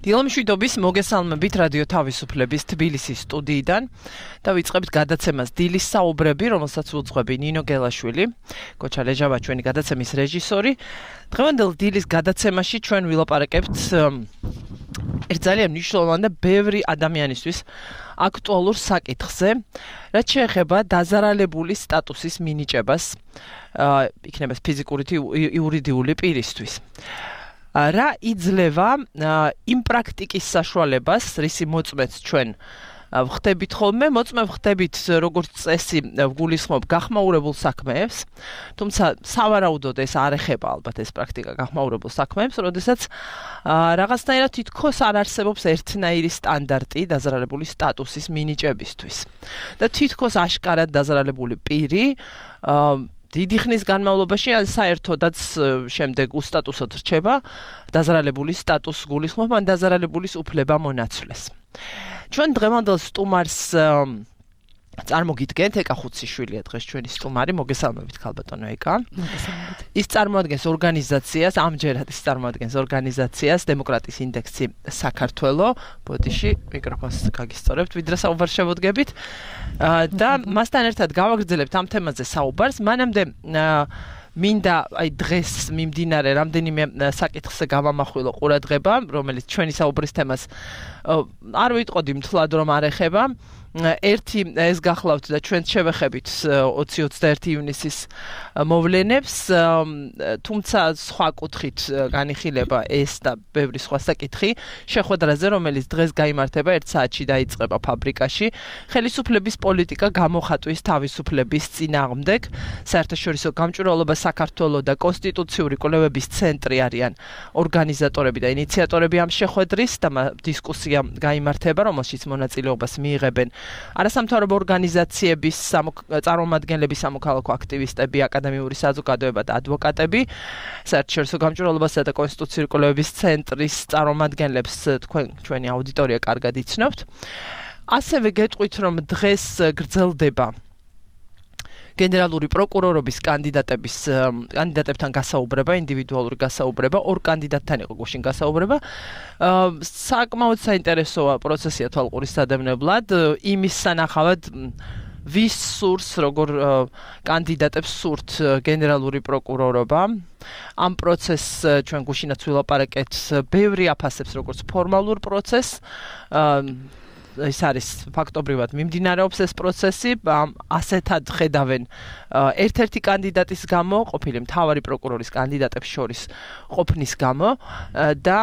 დილამშვიდობის მოგესალმებით რადიო თავისუფლების თბილისის სტუდიიდან და ვიწყებთ გადაცემას დილის საუბრები, რომელსაც უძღვები ნინო გელაშვილი, კოჩა ლეჟავა ჩვენი გადაცემის რეჟისორი. დღევანდელ დილის გადაცემაში ჩვენ ვილაპარაკებთ ერთ ძალიან მნიშვნელოვან და ბევრი ადამიანისთვის აქტუალურ საკითხზე, რაც შეეხება დაზარალებული სტატუსის მინიჭებას, იქნება ფიზიკური თუ იურიდიული პირისთვის. რა იძლევა იმ პრაქტიკის საშუალებას, რისი მოწმეც ჩვენ ვხდებით ხოლმე, მოწმე ვხდებით როგორც წესი ვგულისხმობ გახმაურებულ საქმეებს, თუმცა სავარაუდოდ ეს არ ეხება ალბათ ეს პრაქტიკა გახმაურებულ საქმეებს, როდესაც რაღაცნაირად თითქოს არ არსებობს ერთნაირი სტანდარტი დაზარალებული სტატუსის მინიჭებისთვის. და თითქოს აშკარად დაზარალებული პირი დიდი ხნის განმავლობაში ან საერთოდაც შემდეგ უსტატუსოდ რჩება დაზარალებული სტატუსს გულისხმობ ან დაზარალებულის უფლება მონაცვლეს. ჩვენ დღევანდელ სტუმარს წარმოგიდგენთ ეკა ხუციშვილია დღეს ჩვენი სტუმარი, მოგესალმებით ქალბატონო ეკა. მოგესალმებით. ის წარმოადგენს ორგანიზაციას, ამჯერად ის წარმოადგენს ორგანიზაციას დემოკრატიის ინდექსი საქართველო. ბოდიში მიკროფონს გაგისწორებთ, ვიდრე საუბარს შევოდგებით. და მასთან ერთად გავაგრძელებთ ამ თემაზე საუბარს. მანამდე მინდა დღეს მიმდინარე რამდენიმე საკითხზე გავამახვილო ყურადღება, რომელიც ჩვენი საუბრის თემას არ ვიტყოდი მთლად რომ არ ეხება. ერთი ეს გახლავთ და ჩვენ შევეხებით 20-21 ივნისის მოვლენებს, თუმცა სხვა კუთხით განიხილება ეს და ბევრი სხვა საკითხი შეხვედრაზე, რომელიც დღეს გაიმართება 1 საათში დაიწყება ფაბრიკაში, ხელისუფლების პოლიტიკა გამოხატვის თავისუფლების წინააღმდეგ, საერთაშორისო გამჭვირვალობა საქართველოს და კონსტიტუციური კვლევების ცენტრი არიან ორგანიზატორები და ინიციატორები ამ შეხვედრის და დისკუსია გაიმართება, რომელშიც მონაწილეობას მიიღებენ არასამთავრობო ორგანიზაციების წარმომადგენლები, სამოქალაქო აქტივისტები, აკადემიური საზოგადოება და ადვოკატები, საერთაშორისო გამჭვირვალობასა და კონსტიტუციური კვლევების ცენტრის წარმომადგენლებს ჩვენი აუდიტორია კარგად იცნობთ. ასევე გეტყვით, რომ დღეს გრძელდება გენერალური პროკურორობის კანდიდატებთან გასაუბრება, ინდივიდუალური გასაუბრება, ორ კანდიდატთან იყო გუშინ გასაუბრება. საკმაოდ საინტერესოა პროცესია თვალყურის სადევნებლად, იმის სანახავად ვის სურს, როგორ კანდიდატებს სურთ გენერალური პროკურორობა. ამ პროცესს ჩვენ გუშინაც ვილაპარაკეთ, ბევრი აფასებს როგორც ფორმალურ პროცესს, ეს არის ფაქტობრივად მიმდინარეობს ეს პროცესი, ასეთად ხედავენ ერთ-ერთი კანდიდატის გამო, ყოფილი მთავარი პროკურორის კანდიდატებს შორის ყოფნის გამო და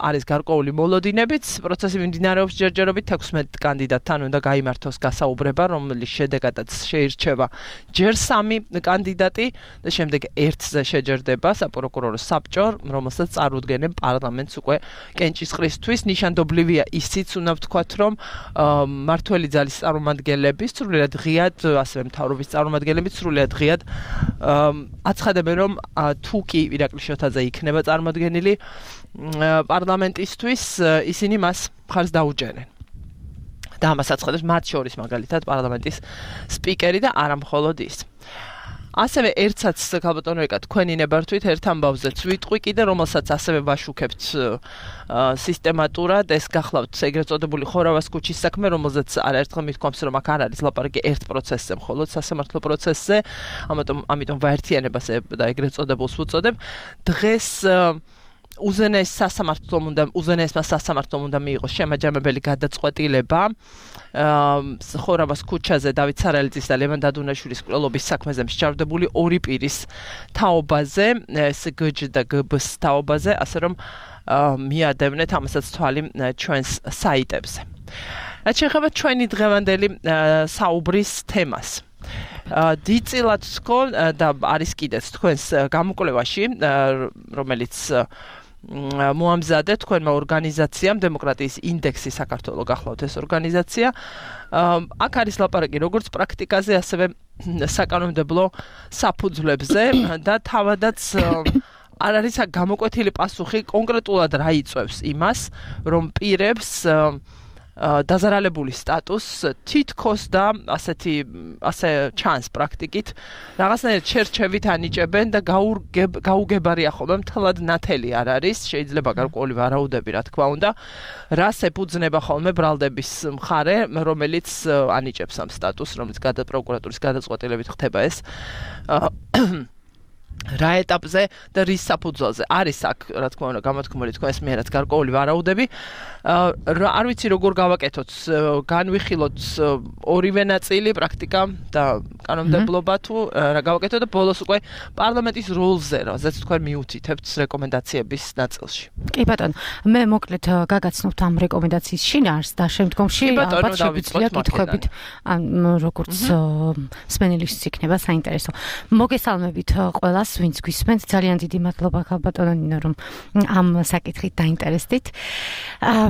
არის გარკვეული მოლოდინებიც, პროცესი მიმდინარეობს ჯერჯერობით 16 კანდიდატთან უნდა გაიმართოს გასაუბრება, რომლის შედეგადაც შეირჩევა ჯერ 3 კანდიდატი და შემდეგ 1-ზე შეჯერდება საპროკურორო საბჭო, რომელსაც წარუდგენენ პარლამენტს უკვე კენჭისყრისთვის. ნიშანდობლივია ისიც უნდა ვთქვათ, რომ მართველი ძალის წარმომადგენლები სრულიად ღიად, ასევე მთავრობის წარმომადგენლები სრულიად ღიად აცხადებენ, რომ თუ კი ირაკლი შოთაძე იქნება წარმოდგენილი პარლამენტისთვის, ისინი მას მხარს დაუჭერენ. და ამას აცხადებს მათ შორის მაგალითად პარლამენტის სპიკერი და არა მხოლოდ ის. ასევე ერთსაც ქალბატონო ეკა თქვენი ნებართვით ერთ ამბავზეც ვიტყვი კიდე, რომელსაც ასევე ვაშუქებთ სისტემატურად, ეს გახლავთ ეგრეთ წოდებული ხორავას ქუჩის საქმე, რომელზეც არაერთხელ მithქვამს, რომ აქ არ არის ლაპარაკი ერთ პროცესზე, მხოლოდ სასამართლო პროცესზე, ამიტომ ვაერთიანებას და ეგრეთ წოდებულს ვუწოდებ. დღეს უზენაესმა სასამართლომ უნდა მიიღოს შემაჯამებელი გადაწყვეტილება ხორავას ქუჩაზე დავით სარალიძის და ლევან დადუნაშვილის მკვლელობის საქმეზე მსჯავრდებული 2 პირის თაობაზე, SGJ და GBS თაობაზე, ასე რომ მიადევნეთ ამასაც თვალი ჩვენს საიტებზე. რაც შეეხება ჩვენი დღევანდელი საუბრის თემას. დიდწილად თქო და არის კიდეც თქვენს გამოკვლევაში, რომელიც მოამზადეთ თქვენმა ორგანიზაციამ დემოკრატიის ინდექსი საქართველოს გახლავთ ეს ორგანიზაცია. აქ არის ლაპარაკი როგორც პრაქტიკაზე, ასევე საკანონმდებლო საფუძვლებზე და თავადაც არ არის გამოკვეთილი პასუხი კონკრეტულად რა იწვევს იმას, რომ პირებს დაზარალებული სტატუსს თითქოს და ასე ჩანს პრაქტიკით რაღაცნაირად შერჩევით ანიჭებენ და გაუგებარია ხოლმე მთლად ნათელი არ არის შეიძლება გარკვეული ვარაუდები რა თქმა უნდა რას ეფუძნება ხოლმე ბრალდების მხარე რომელიც ანიჭებს ამ სტატუსს რომელიც პროკურატურის გადაწყვეტილებით ხდება ეს რა ეტაპზე და რის საფუძველზე არის აქ რა თქმა უნდა გამოთქმული თქვენს მიერაც გარკვეული ვარაუდები არ ვიცი როგორ გავაკეთოთ განვიხილოთ ორივე ნაწილი პრაქტიკა და კანონმდებლობა თუ რა გავაკეთოთ და ბოლოს უკვე პარლამენტის როლზე რაზეც თქვენ მიუთითებთ რეკომენდაციების ნაწილში კი ბატონო მე მოკლედ გაგაცნობთ ამ რეკომენდაციის შინაარსს და შემდგომში ალბათ შეგვიძლია კითხვებით როგორც მსმენელის იქნება საინტერესო მოგესალმებით ყველას ვინც გვისმენთ ძალიან დიდი მადლობა ხალბატონო ნინო რომ ამ საკითხით დაინტერესდით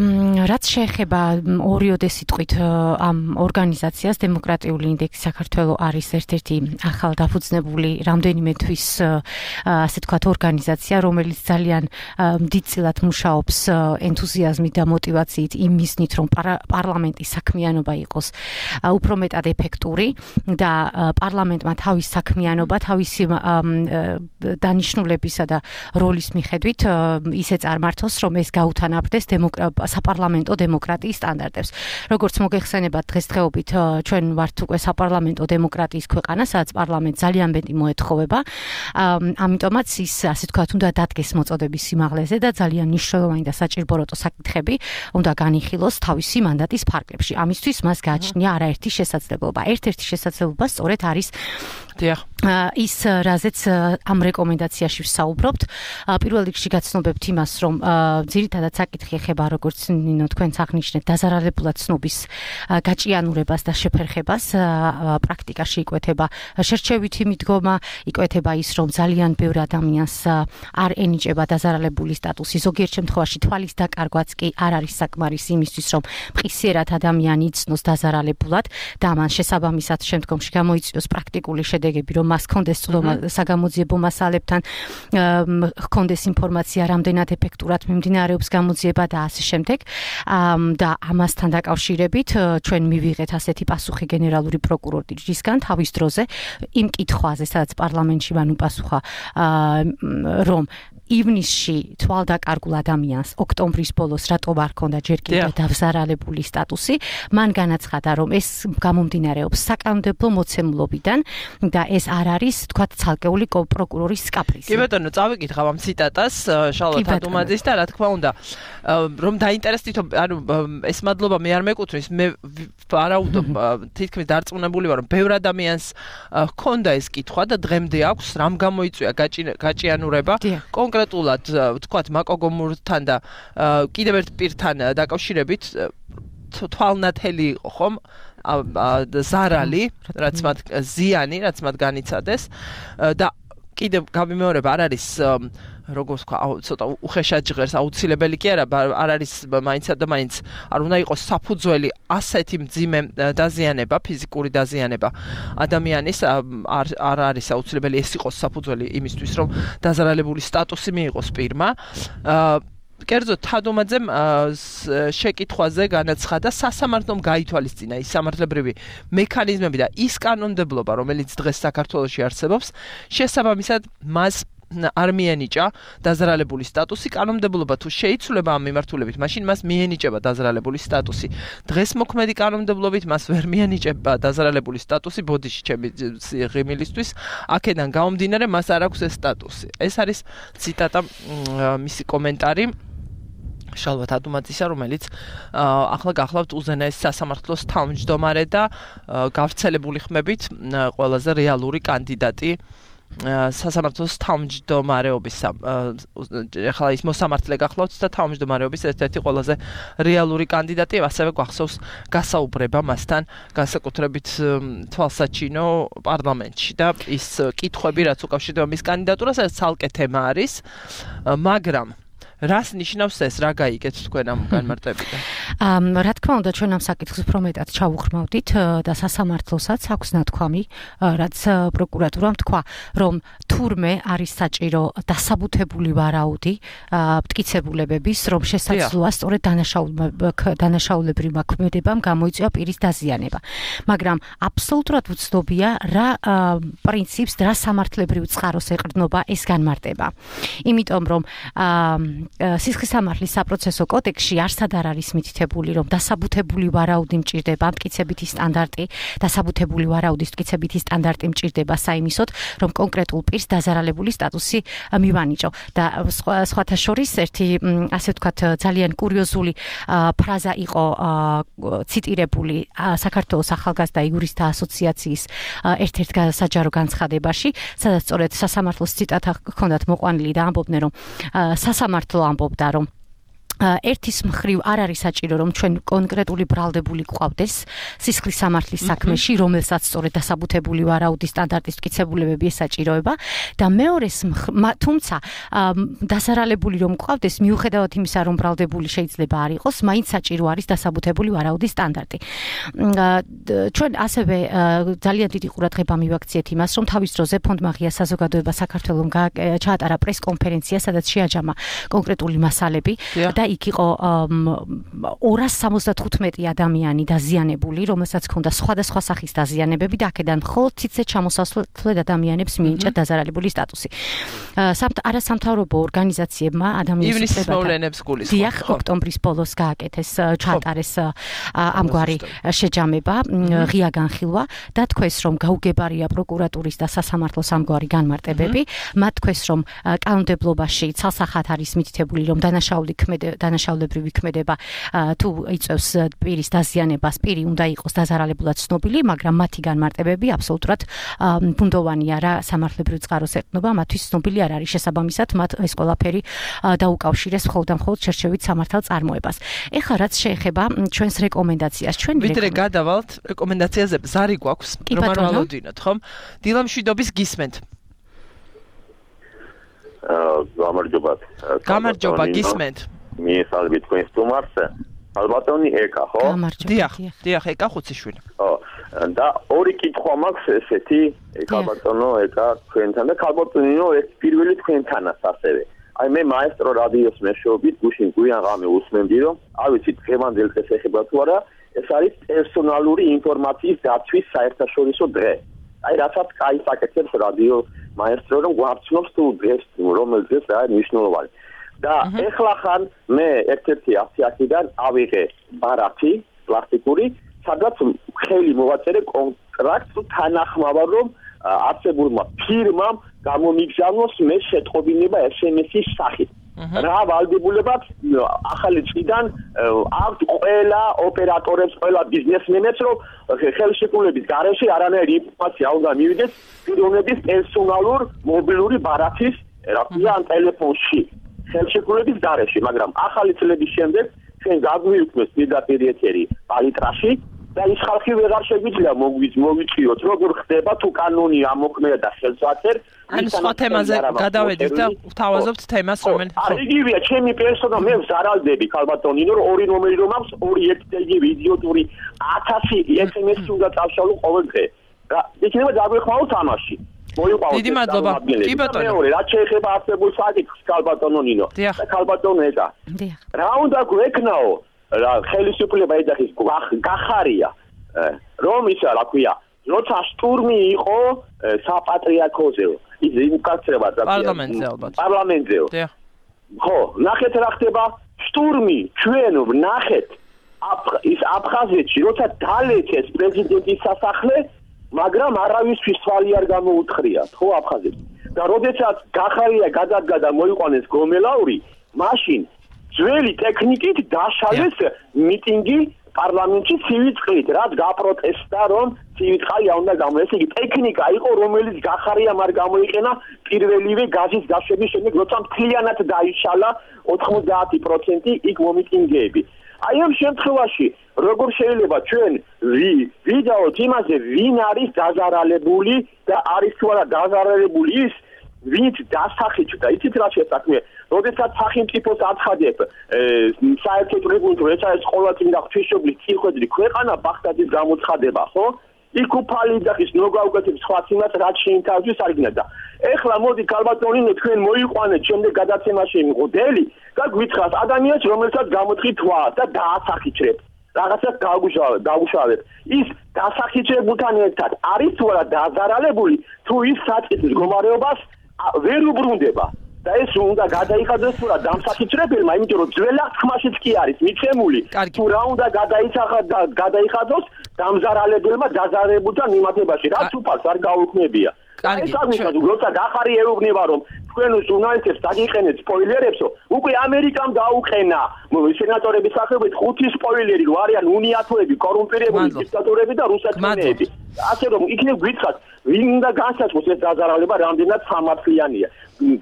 რაც შეეხება ორიოდე სიტყვით ამ ორგანიზაციას დემოკრატიული ინდექსი საქართველოს არის ერთ-ერთი ახალ დაფუძნებული რამდენიმე თვის ასე თქვათ ორგანიზაცია რომელიც ძალიან დიდწილად მუშაობს ენთუზიაზმით და მოტივაციით იმ მიზნით რომ პარლამენტის საქმიანობა იყოს უფრო მეტად ეფექტური და პარლამენტმა თავის საქმიანობა თავისი დანიშნულებისა და როლის მიხედვით ისე წარმართოს რომ ეს გაუთანაბრდეს საპარლამენტო დემოკრატიის სტანდარტებს. როგორც მოგეხსენებათ დღესდღეობით ჩვენ ვართ უკვე საპარლამენტო დემოკრატიის ქვეყანა, სადაც პარლამენტს ძალიან მეტი მოეთხოვება. ამიტომაც ის ასე თქვათ უნდა დადგეს მოწოდების სიმაღლეზე და ძალიან მნიშვნელოვანი და საჭიროებო საკითხები უნდა განიხილოს თავისი მანდატის ფარგლებში. ამისთვის მას გააჩნია არაერთი შესაძლებლობა. ერთ-ერთი შესაძლებლობა სწორედ არის ის რაზეც ამ რეკომენდაციაში ვსაუბრობთ. პირველ რიგში გაცნობებთ იმას, რომ ძირითადად საკითხი ეხება როგორც ნინო თქვენც აღნიშნეთ დაზარალებულად ცნობის გაჭიანურებას და შეფერხებას პრაქტიკაში იკვეთება შერჩევითი მიდგომა, იკვეთება ის რომ ძალიან ბევრ ადამიანს არ ენიჭება დაზარალებული სტატუსი, ზოგიერთ შემთხვევაში თვალის დაკარგვაც კი არ არის საკმარისი იმისთვის რომ მყისიერად ადამიანი იცნოს დაზარალებულად და ამან შესაბამისად შემდგომში გამოიწვიოს პრაქტიკული შედეგები რომ მას კონდეს წვდომა საგამოძიებო მასალებთან ჰქონდეს ინფორმაცია რამდენად ეფექტურად მიმდინარეობს გამოძიება და ასე შემდეგ და ამასთან დაკავშირებით ჩვენ მივიღეთ ასეთი პასუხი გენერალური პროკურორისგან თავის დროზე იმ კითხვაზე სადაც პარლამენტში მან უპასუხა რომ ივნისში თვალდაკარგულ ადამიანს ოქტომბრის ბოლოს რატომ არ ქონდა ჯერ კიდევ დაზარალებული სტატუსი მან განაცხადა რომ ეს გამომდინარეობს საკანონმდებლო მოცემულობიდან და ეს არ არის თქვათ ცალკეული პროკურორის კაპრიზი. კი ბატონო, წავიკითხავ ამ ციტატას შალვა თადუმაძის და რა თქმა უნდა რომ დაინტერესდით ანუ ეს მადლობა მე არ მეკუთვნის მე ვარაუდობ თითქმის დარწმუნებული ვარ რომ ბევრ ადამიანს ჰქონდა ეს კითხვა და დღემდე აქვს რამ გამოიწვია გაჭიანურება კონკრეტულად თქვათ მაკოგომურთან და კიდევ ერთ პირთან დაკავშირებით თვალნათელი იყო ხომ ზარალი რაც მათ ზიანი რაც მათ განიცადეს და კიდევ გამიმეორება არ არის როგორც ვქვა ცოტა უხეშად ჟღერს აუცილებელი კი არა არ არის მაინცად და მაინც არ უნდა იყოს საფუძველი ასეთი მძიმე დაზიანება ფიზიკური დაზიანება ადამიანის არ არის აუცილებელი ეს იყოს საფუძველი იმისთვის რომ დაზარალებული სტატუსი მიიღოს პირმა კერძო თადუმაძემ შეკითხვაზე განაცხადა სასამართლომ გაითვალისწინა ის სამართლებრივი მექანიზმები და ის კანონმდებლობა რომელიც დღეს საქართველოში არსებობს შესაბამისად მას არ მიენიჭა დაზარალებული სტატუსი კანონმდებლობა თუ შეიცვლება ამ მიმართულებით მაშინ მას მიენიჭება დაზარალებული სტატუსი დღეს მოქმედი კანონმდებლობით მას ვერ მიენიჭება დაზარალებული სტატუსი ბოდიში ჩემი ღიმილისთვის აქედან გამომდინარე მას არ აქვს ეს სტატუსი ეს არის ციტატა მისი კომენტარი შალვა თადუმაძისა რომელიც ახლა გახლავთ უზენაეს სასამართლოს თავმჯდომარე და გავრცელებული ხმებით ყველაზე რეალური კანდიდატი სასამართლოს თავმჯდომარეობის ახლა ის მოსამართლე გახლავთ და თავმჯდომარეობის ერთ-ერთი ყველაზე რეალური კანდიდატი ასევე გვახსოვს გასაუბრება მასთან განსაკუთრებით თვალსაჩინო პარლამენტში და ის კითხვები რაც უკავშირდება მის კანდიდატურას ეს ცალკე თემა არის მაგრამ რას ნიშნავს ეს რა გაიგეთ თქვენ ამ განმარტებიდან? რა თქმა უნდა ჩვენ ამ საკითხს უფრო მეტად ჩავუხმავდით და სასამართლოსაც აქვს ნათქვამი რაც პროკურატურამ თქვა რომ თურმე არის საჭირო დასაბუთებული ვარაუდი მტკიცებულებების, რომ შესაძლოა სწორედ დანაშაულებრივმა ქმედებამ გამოიწვია პირის დაზიანება. მაგრამ აბსოლუტურად უცნობია რა პრინციპს, რა სამართლებრივ წყაროს ეყრდნობა ეს განმარტება. იმიტომ რომ სისხლისამართლის საპროცესო კოდექსში არსად არ არის მითითებული, რომ დასაბუთებული ვარაუდი მჭირდება, მტკიცებითი სტანდარტი, დასაბუთებული ვარაუდის მტკიცებითი სტანდარტი მჭირდება საიმისოდ, რომ კონკრეტულ პირს დაზარალებული სტატუსი მივანიჭო. და სხვათა შორის ერთი ასე ვთქვათ ძალიან კურიოზული ფრაზა იყო ციტირებული საქართველოს ახალგაზრდა იურისტთა ასოციაციის ერთ-ერთ საჯარო განცხადებაში, სადაც სწორედ სასამართლოს ციტატა ჰქონდათ მოყვანილი და ამბობდნენ, რომ სასამართლო ამბობდა, რომ ერთის მხრივ არ არის საჭირო, რომ ჩვენ კონკრეტული ბრალდებული გვყავდეს სისხლის სამართლის საქმეში, რომელსაც სწორედ დასაბუთებული ვარაუდის სტანდარტის მტკიცებულებები ესაჭიროება და მეორეს თუმცა დასარალებული რომ გვყავდეს, მიუხედავად იმისა, რომ ბრალდებული შეიძლება არ იყოს, მაინც საჭირო არის დასაბუთებული ვარაუდის სტანდარტი. ჩვენ ასევე ძალიან დიდი ყურადღება მივაქციეთ იმას, რომ თავის დროზე ფონდ მაღია საზოგადოება საქართველოს ჩაატარა პრესკონფერენცია, სადაც შეაჯამა კონკრეტული მასალები და იქ იყო 275 ადამიანი დაზიანებული, რომელსაც ჰქონდა სხვადასხვა სახის დაზიანებები და აქედან მხოლოდ ციცე ჩამოსასვლელ ადამიანებს მიენიჭა დაზარალებული სტატუსი. არასამთავრობო ორგანიზაციებმა ადამიანის მოვლენებს გულისხმობ. დიახ, ოქტომბრის ბოლოს გააკეთეს, ჩაატარეს ამგვარი შეჯამება, ღია განხილვა და თქვეს, რომ გაუგებარია პროკურატურის და სასამართლოს ამგვარი განმარტებები. მათ თქვეს, რომ კანონმდებლობაში ცალსახად არის მითითებული, რომ დანაშაულებრივი ქმედება თუ იწევს პირის დაზიანებას, პირი უნდა იყოს დაზარალებულად ცნობილი, მაგრამ მათი განმარტებები აბსოლუტურად ბუნდოვანია რა სამართლებრივ წყაროს ეყრდნობა, მათთვის ცნობილი არ არის. შესაბამისად, მათ ეს ყველაფერი დაუკავშირეს მხოლოდ და მხოლოდ შერჩევით სამართალ წარმოებას. ეხლა რაც შეეხება ჩვენს რეკომენდაციას, ვიდრე გადავალთ რეკომენდაციაზე, ზარი გვაქვს, რომ არ ვალოდინოთ, ხომ? დილამშვიდობის გისმენთ. გამარჯობა, გისმენთ. მიესალმებით თქვენ სტუმარს. ალბათონი ეკა, ხო? დიახ, ეკა ხუციშვილი. ხო. და ორი კითხვა მაქვს ესეთი, ალბათონო, ეკა თქვენთან და ალბათონინო ეს პირველი თქვენთანაც ასევე. აი მე მაესტრო რადიოს მეშვეობით გუშინ გვიან ღამე უსმენდი, რომ არ ვიცი დღევანდელ დღეს ეხება თუ არა, ეს არის პერსონალური ინფორმაციის დაცვის საერთაშორისო დღე. აი რასაც კაი საკეთებს რადიო მაესტრო, რომ გვარცნობს თუ დღეს რომელ დღეს რა მნიშვნელოვანი. და ეხლა ხან მე ერთ-ერთი 100-დან ავიღე ბარათი პლასტიკური, სადაც ხელი მოვაწერე კონტრაქტს თანახმავა, რომ არსებულმა ფირმამ გამომიგზავნოს მე შეტყობინება SMS-ის სახით. რა ვალდებულებაც ახალი წლიდან აქვთ ყველა ოპერატორებს, ყველა ბიზნესმენებს, რომ ხელშეკრულების გარეშე არანაირი ინფორმაცია უნდა მივიდეს პიროვნების პერსონალურ მობილური ბარათის, რა ქვია, ან ტელეფონში. ხელშეკრულების გარეშე, მაგრამ ახალი წლების შემდეგ ჩვენ გაგვიუქმეს პირდაპირ ეთერი პალიტრაში და ის ხალხი ვეღარ შეგვიძლია მოვიწყიოთ, როგორ ხდება თუ კანონი ამოქმედა და ხელსაწყერ. ან სხვა თემაზე გადავედით და ვთავაზობთ თემას, რომელიც იგივეა ჩემი პერსონა, მე ვზარალდები ქალბატონინო, რომ ორი ნომერი რომ აქვს, ორი იგივე იდიოტური 1000 SMS-ი უნდა წავშალო ყოველ დღე. და იქნება დაგვეხმაო თამაში. დიდი მადლობა. კი ბატონო. მეორე, რაც შეეხება არსებულ საკითხს ქალბატონო ნინო და ქალბატონო ეკა. რა უნდა გვექნაო? ხელისუფლება ეძახის გახარია, რომ ისა რა ქვია, როცა შტურმი იყო საპატრიარქოზე, ის უკაცრება პარლამენტზე ალბათ. პარლამენტზე. ხო, ნახეთ რა ხდება, შტურმი ჩვენ ვნახეთ ის აფხაზეთში, როცა დალექეს პრეზიდენტის სასახლე, მაგრამ არავისთვის თვალი არ გამოუთხრიათ, ხო აფხაზეთში. და როდესაც გახარია გადადგა და მოიყვანეს გომელაური, მაშინ ძველი ტექნიკით დაშალეს მიტინგი პარლამენტში ცივი წყლით, რაც გაპროტესტა, რომ ცივი წყალი არ უნდა გამოეს. იგი ტექნიკა იყო, რომელიც გახარიამ არ გამოიყენა პირველივე გაზის გაშვების შემდეგ, როცა მთლიანად დაიშალა 90% იქ მომიტინგეები. აი ამ შემთხვევაში როგორ შეიძლება ჩვენ ვიდაოთ იმაზე, ვინ არის დაზარალებული და არის თუ არა დაზარალებული ის, ვინც დასახიჭდა. იცით რა შესაქმე? როდესაც სახელმწიფოს აცხადებ საერთო რეგულატორი, ეს არის ყოველწლინა ღვთისმშობლის წინხედვი ქვეყანა ბაღდადის გამოცხადება, ხო? იქ უფალი და ის ნოგავგეთებს სხვა წინათ რაც შეინთავსვის არიგნად და ეხლა მოდი ქალბატონინო თქვენ მოიყვანეთ შემდეგ გადაცემაში მოდელი და გვითხრათ ადამიანს რომელსაც გამოთხით თვა და დაასახიჩრებთ რაღაცას გაუშავეთ ის დასახიჩრებულთან ერთად არის თუ არა დაზარალებული თუ ის საწყის მდგომარეობას ვერ უბრუნდება და ეს უნდა გადაიხადოს თუ რა დამსახიჩრებელმა იმიტომ რომ ძველად ხმაშიც კი არის მიცემული თუ რა უნდა გადაიხადოს დამზარალებელმა დაზარალებულთან მიმართებაში რაც უფალს არ გაუქმებია ეს აღნიშნავს როცა გახარი ეუბნება რომ თქვენ ჟურნალისტებს დაგიყენეთ სპოილერებსო უკვე ამერიკამ დაუყენა სენატორების სახელობით 5 სპოილერი რო არიან უნიათოები კორუმპირებული დიქტატორები და რუსეთმენეები ასე რომ იქნებ გითხრათ ვინ უნდა განსაზღვროს ეს დაზარალება რამდენად სამართლიანია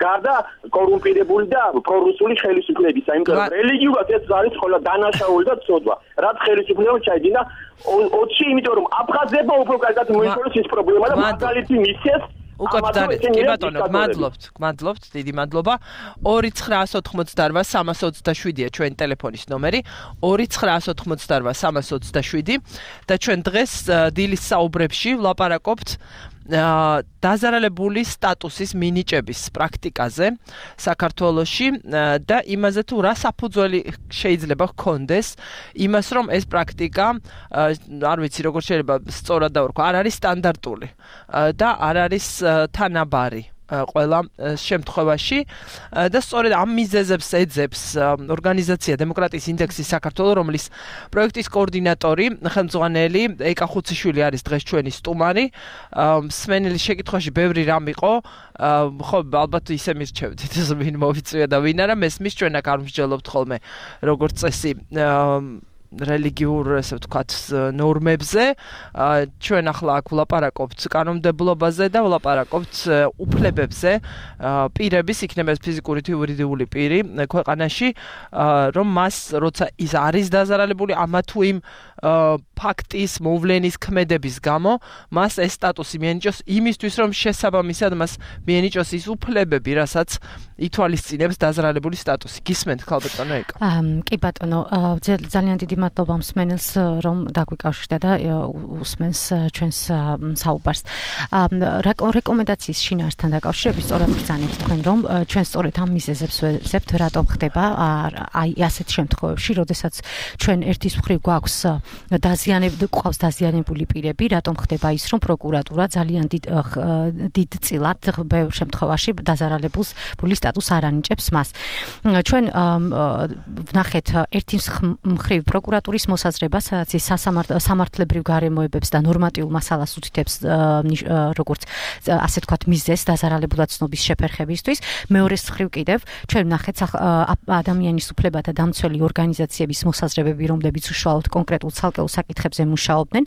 გარდა კორუმპირებული და პრორუსული ხელისუფლებისა იმიტომ რომ რელიგიურად ეს არის ხოლმე დანაშაული და ცოდვა რაც ხელისუფლება ჩაიდინა 20 იმიტომ რომ აფხაზებმა უფრო კარგად მოიწონეს ის პრობლემა და მაგალითი მისცეს უკვე ბრძანეთ კი ბატონო გმადლობთ დიდი მადლობა 2988327-ია ჩვენი ტელეფონის ნომერი 2988327 და ჩვენ დღეს დილის საუბრებში ვლაპარაკობთ დაზარალებული სტატუსის მინიჭების პრაქტიკაზე საქართველოში და იმაზე თუ რა საფუძველი შეიძლება ჰქონდეს იმას რომ ეს პრაქტიკა არ ვიცი როგორ შეიძლება სწორად დავარქვა არ არის სტანდარტული და არ არის თანაბარი ყველა შემთხვევაში და სწორედ ამ მიზეზებს ეძებს ორგანიზაცია დემოკრატიის ინდექსი საქართველოს რომლის პროექტის კოორდინატორი ხელმძღვანელი ეკა ხუციშვილი არის დღეს ჩვენი სტუმარი მსმენელის შეკითხვაში ბევრი რამ იყო ხო ალბათ ისე მირჩევდით ვინ მოვიწვია და ვინ არა მესმის ჩვენ აქ არ მსჯელობთ ხოლმე როგორც წესი რელიგიურ ესე ვთქვათ ნორმებზე ჩვენ ახლა აქ ვლაპარაკობთ კანონმდებლობაზე და ვლაპარაკობთ უფლებებზე პირების იქნება ფიზიკური თუ იურიდიული პირი ქვეყანაში რომ მას როცა ის არის დაზარალებული ამა თუ იმ ფაქტის მოვლენის ქმედების გამო მას ეს სტატუსი მიენიჭოს იმისთვის რომ შესაბამისად მას მიენიჭოს ის უფლებები რასაც ითვალისწინებს დაზარალებული სტატუსი გისმენთ ქალბატონო ეკა კი ბატონო ძალიან დიდი მადლობა მსმენელს რომ დაგვიკავშირდა და უსმენს ჩვენს საუბარს რეკომენდაციის შინაარსთან დაკავშირებით სწორად ბრძანებთ თქვენ რომ ჩვენ სწორედ ამ მიზეზებს ვეძებთ რატომ ხდება აი ასეთ შემთხვევებში როდესაც ჩვენ ერთის მხრივ გვაქვს დაზიანებული პირები რატომ ხდება ის რომ პროკურატურა ძალიან დიდ წილად ბევრ შემთხვევაში დაზარალებულს ბული სტატუსს არ ანიჭებს მას ჩვენ ვნახეთ ერთის მხრივ პროკურატურის მოსაზრება სადაც ის სამართლებრივ გარემოებებს და ნორმატიულ მასალას უთითებს როგორც ასე ვთქვათ მიზეზს დაზარალებულად ცნობის შეფერხებისთვის მეორეს მხრივ კიდევ ჩვენ ვნახეთ ადამიანის უფლებათა დამცველი ორგანიზაციების მოსაზრებები რომლებიც უშუალოდ კონკრეტულ ცალკეულ საკითხებზე მუშაობდნენ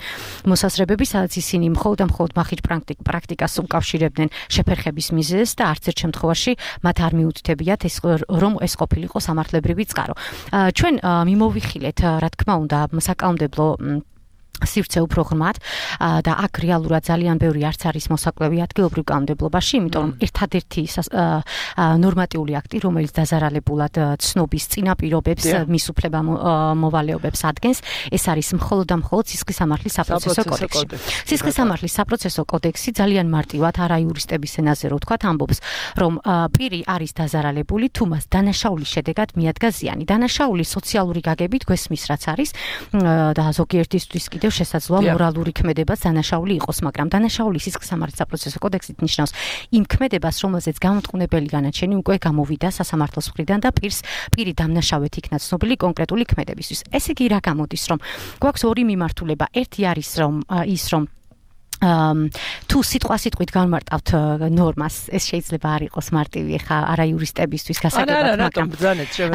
მოსაზრებები სადაც ისინი მხოლოდ მახიჯ პრაქტიკას უკავშირებდნენ შეფერხების მიზეზს და არც ერთ შემთხვევაში მათ არ მიუთითებიათ ეს რომ ეს ყოფილიყო სამართლებრივი წყარო ჩვენ მიმოვიხილეთ რა თქმა უნდა საკანონმდებლო სივრცე უფრო ღრმად და აქ რეალურად ძალიან ბევრი არც არის მოსაკლევი ადგილობრივ კანონმდებლობაში, იმიტომ რომ ერთადერთი ნორმატიული აქტი, რომელიც დაზარალებულად ცნობის წინაპირობებს, მის უფლება მოვალეობებს ადგენს, ეს არის მხოლოდ და მხოლოდ სისხლისამართლის საპროცესო კოდექსი. სისხლისამართლის საპროცესო კოდექსი ძალიან მარტივად არაიურისტების ენაზე რო ვთქვათ, ამბობს, რომ პირი არის დაზარალებული, თუ მას დანაშაულის შედეგად მიადგა ზიანი. დანაშაული სოციალური გაგებით გვესმის რაც არის და ზოგიერთისთვის კიდევ შესაძლოა მორალური ქმედებაც დანაშაული იყოს, მაგრამ დანაშაული სისხლისამართლის საპროცესო კოდექსით ნიშნავს იმ ქმედებას, რომელზეც გამომტყუნებელი განაჩენი უკვე გამოვიდა სასამართლოს მხრიდან და პირი დამნაშავედ იქნა ცნობილი კონკრეტული ქმედებისთვის. ესე იგი რა გამოდის, რომ გვაქვს ორი მიმართულება. ერთი არის რომ თუ სიტყვით განმარტავთ ნორმას, ეს შეიძლება არ იყოს მარტივი ხა არაიურისტებისთვის გასაგებად, მაგრამ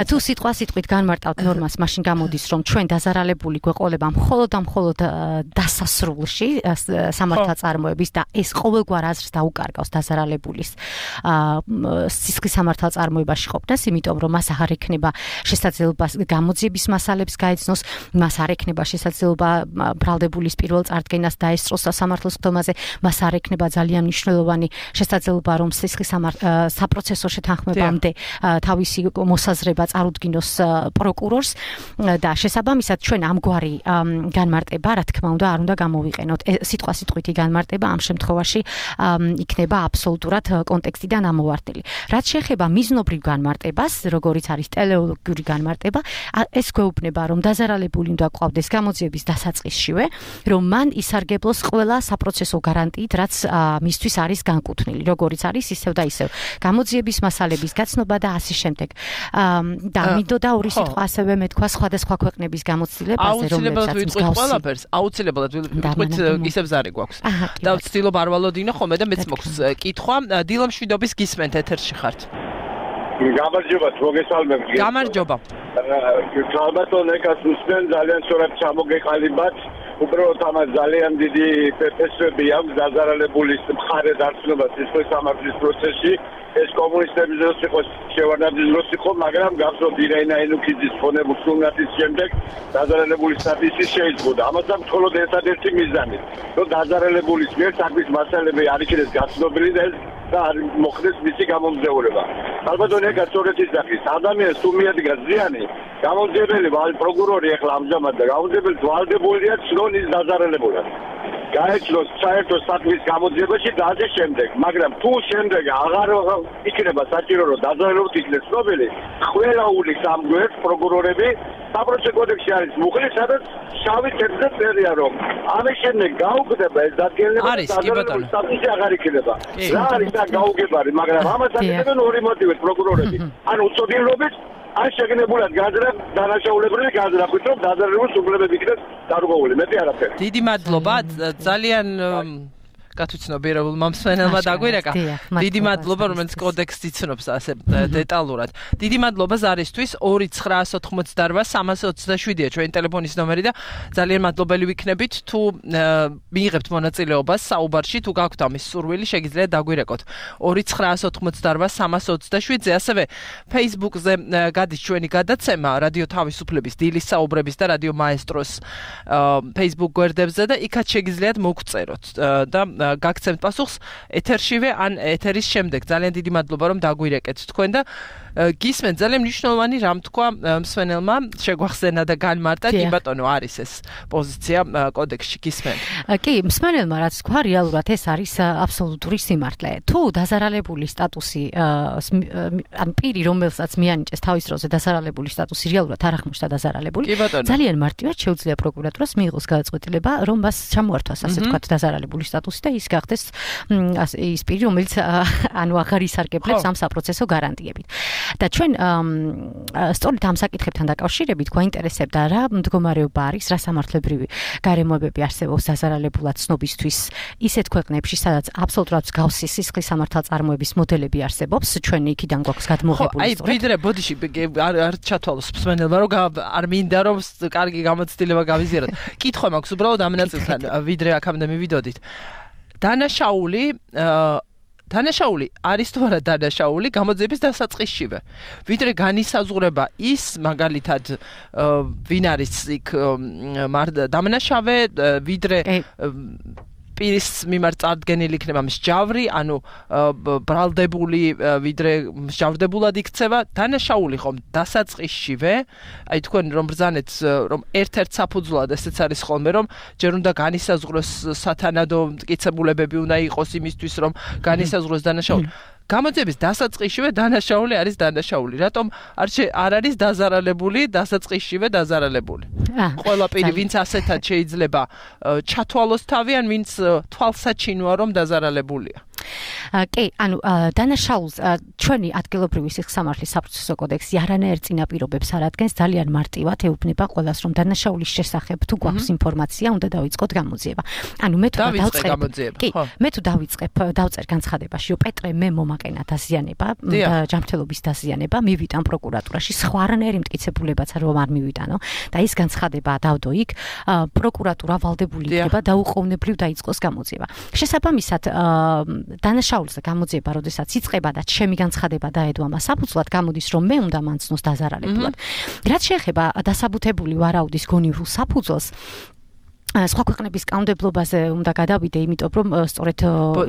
თუ სიტყვით განმარტავთ ნორმას, მაშინ გამოდის, რომ ჩვენ დაზარალებული გვეყოლება მხოლოდ დასასრულში სამართალწარმოების და ეს ყოველგვარ აზრს დაუკარგავს დაზარალებულის სისხლის სამართალწარმოებაში ყოფნას, იმიტომ რომ მას აღარ ექნება შესაძლებლობა გამოძიების მასალებს გაეცნოს, მას არ ექნება შესაძლებლობა ბრალდებულის პირველ წარდგენას დაესწროს სასამართლო საქართველოს ხდომაზე, მას არ ექნება ძალიან მნიშვნელოვანი შესაძლებლობა, რომ სისხლის საპროცესო შეთანხმებამდე თავისი მოსაზრება წარუდგინოს პროკურორს და შესაბამისად ჩვენ ამგვარი განმარტება, რა თქმა უნდა, არ უნდა გამოვიყენოთ. სიტყვასიტყვითი განმარტება ამ შემთხვევაში იქნება აბსოლუტურად კონტექსტიდან ამოვარდნილი. რაც შეეხება მიზნობრივ განმარტებას, როგორიც არის ტელეოლოგიური განმარტება, ეს გვეუბნება, რომ დაზარალებული უნდა ყავდეს გამოძიების დასაწყისშივე, რომ მან ისარგებლოს ყველა საპროცესო გარანტიით, რაც მისთვის არის განკუთვნილი, როგორიც არის ისევ და ისევ გამოძიების მასალების გაცნობა და ასე შემდეგ. და მინდოდა ორი სიტყვა ასევე მეთქვა სხვადასხვა ქვეყნების გამოცდილებაზე, რომლებსაც მსგავსი აუცილებლად ვიტყვით ისევ ზარი გვაქვს. და ვცდილობ არ ვალოდინო ხოლმე და მეც მოქვს კითხვა. დილა მშვიდობის გისმენთ ეთერში ხართ. გამარჯობა, მოგესალმებ. გამარჯობა. ალბათ ეკას უსმენ ძალიან სწორად ჩამოგეყალიბათ. უბრალოდ ამას ძალიან დიდი ფესვები აქვს დაზარალებულის მხარე დარჩენებას სისხლის სამართლის პროცესში. ეს კომუნისტების დროს იყო, შევარდნაძის დროს იყო, მაგრამ გახსოვთ ირენა ენუქიძის ხონებულ სულნათის შემდეგ დაზარალებული სტატუსი შეიზღუდა. ამასაც მხოლოდ ერთადერთი მიზანი, რომ დაზარალებულის მიერ საქმის მასალები არ იქნეს გაცნობილი და არ მოხდეს მისი გამომძევრება. ალბათ ეკა სწორედ ისახის ადამიანს თუ მიადგა ზიანი, გამომძეველი პროკურორი ახლა ამჟამად და გამომძეველი ვალდებულია ცნონ ის დაზარალებულად. გაეცნოს საერთო საქმის გამოძიებაში და ასე შემდეგ, მაგრამ თუ შემდეგ აღარ იქნება საჭირო რომ დაზარალებული იქნეს ცნობილი, ყველა ულის ამ გვერდს პროკურორები საპროცესო კოდექსში არის მუხლი, სადაც შავი თეთრზე წერია რომ ამის შემდეგ გაუგდება ეს დადგენილება და დაზარალებული სტატუსი აღარ იქნება. რა არის და გაუგებარი, მაგრამ ამას აკეთებენ ორი მოტივით პროკურორები. ანუ უწოდინლობით ან შეგნებულად გაძრა დანაშაულებრივი გაძრახვით რომ დაზარალებულს უგლებები იქნეს დარღვეული. მეტი არაფერი. დიდი მადლობა, ძალიან გათვითცნობიერებულმა მსმენელმა დაგვირეკა. დიდი მადლობა, რომელიც კოდექსს იცნობს ასე დეტალურად. დიდი მადლობა ზარისთვის 2988327-ია ჩვენი ტელეფონის ნომერი და ძალიან მადლობელი ვიქნებით თუ მიიღებთ მონაწილეობას საუბარში, თუ გაქვთ ამის სურვილი, შეგიძლიათ დაგვირეკოთ 2988327-ზე, ასევე Facebook-ზე გადის ჩვენი გადაცემა რადიო თავისუფლების დილის საუბრების და რადიო მაესტროს Facebook გვერდებზე და იქაც შეგიძლიათ მოგწეროთ და გაგცემთ პასუხს ეთერშივე ან ეთერის შემდეგ. ძალიან დიდი მადლობა რომ დაგვირეკეთ თქვენ და გისმენთ ძალიან მნიშვნელოვანი რამ თქვა მსმენელმა, შეგვახსენა და განმარტა, კი ბატონო, არის ეს პოზიცია კოდექსში გისმენთ. კი, მსმენელმა რაც თქვა, რეალურად ეს არის აბსოლუტური სიმართლე. თუ დაზარალებული სტატუსი ან პირი, რომელსაც მიანიჭეს თავის დროზე დაზარალებული სტატუსი რეალურად არ აღმოჩნდა დაზარალებული, ძალიან მარტივად შეუძლია პროკურატურას მიიღოს გადაწყვეტილება, რომ მას ჩამოართვას ასე ვთქვათ დაზარალებული სტატუსი და ის გახდეს ის პირი, რომელიც ანუ აღარ ისარგებლებს ამ საპროცესო გარანტიებით. და ჩვენ სწორედ ამ საკითხებთან დაკავშირებით გვაინტერესებდა რა მდგომარეობა არის, რა სამართლებრივი გარემოებები არსებობს დაზარალებულად ცნობისთვის ისეთ ქვეყნებში, სადაც აბსოლუტურად მსგავსი სისხლის სამართალწარმოების მოდელები არსებობს, ჩვენ იქიდან გვაქვს გადმოღებული. აი, ვიდრე ბოდიში არ ჩათვალოს მსმენელმა, რომ არ მინდა რომ კარგი გამოცდილება გავიზიაროთ. კითხვა მაქვს უბრალოდ ამ ნაწილთან, ვიდრე აქამდე მივიდოდით. დანაშაული არის თუ არა დანაშაული გამოძიების დასაწყისშივე. ვიდრე განისაზღვრება ის მაგალითად ვინ არის იქ დამნაშავე, ვიდრე პირის მიმართ წარდგენილი იქნება მსჯავრი, ანუ ბრალდებული, ვიდრე მსჯავრდებულად იქცევა, დანაშაული ხომ დასაწყისშივე, აი თქვენ რომ ბრძანეთ, რომ ერთ-ერთ საფუძვლად ესეც არის ხოლმე, რომ ჯერ უნდა განისაზღვროს სათანადო მტკიცებულებები უნდა იყოს იმისთვის, რომ განისაზღვროს დანაშაული. გამოძიების დასაწყისშივე დანაშაული არის დანაშაული. რატომ არ არის დაზარალებული დასაწყისშივე დაზარალებული? ყველა პირი, ვინც ასეთად შეიძლება ჩათვალოს თავი, ან ვინც თვალსაჩინოა, რომ დაზარალებულია. კი, ანუ დანაშაულს ჩვენი ადგილობრივი სიხსამართლის საპროცესო კოდექსი არანაირ წინაპირობებს არ ადგენს, ძალიან მარტივად ეუბნება ყველას, რომ დანაშაულის შესახებ თუ გვაქვს ინფორმაცია, უნდა დავიწყოთ გამოძიება. ანუ მე თუ დავწერ განცხადებაში, რომ პეტრე მე მომაკენა დაზიანება, ჯანმრთელობის დაზიანება, მივიტან პროკურატურაში, სხვა არანაირი მტკიცებულებაც რომ არ მივიტანო და ის განცხადება დავდო იქ, პროკურატურა ვალდებული იქნება დაუყოვნებლივ დაიწყოს გამოძიება. შესაბამისად, დანაშაულზე გამოძიება, როდესაც იწყება და ჩემი განცხადება დაედო ამას საფუძვლად, გამოდის, რომ მე უნდა მანცნოს დაზარალებულად. რაც შეეხება დასაბუთებული ვარაუდის გონივრულ საფუძველს, სხვა ქვეყნების კანონმდებლობაზე უნდა გადავიდე, იმიტომ რომ სწორედ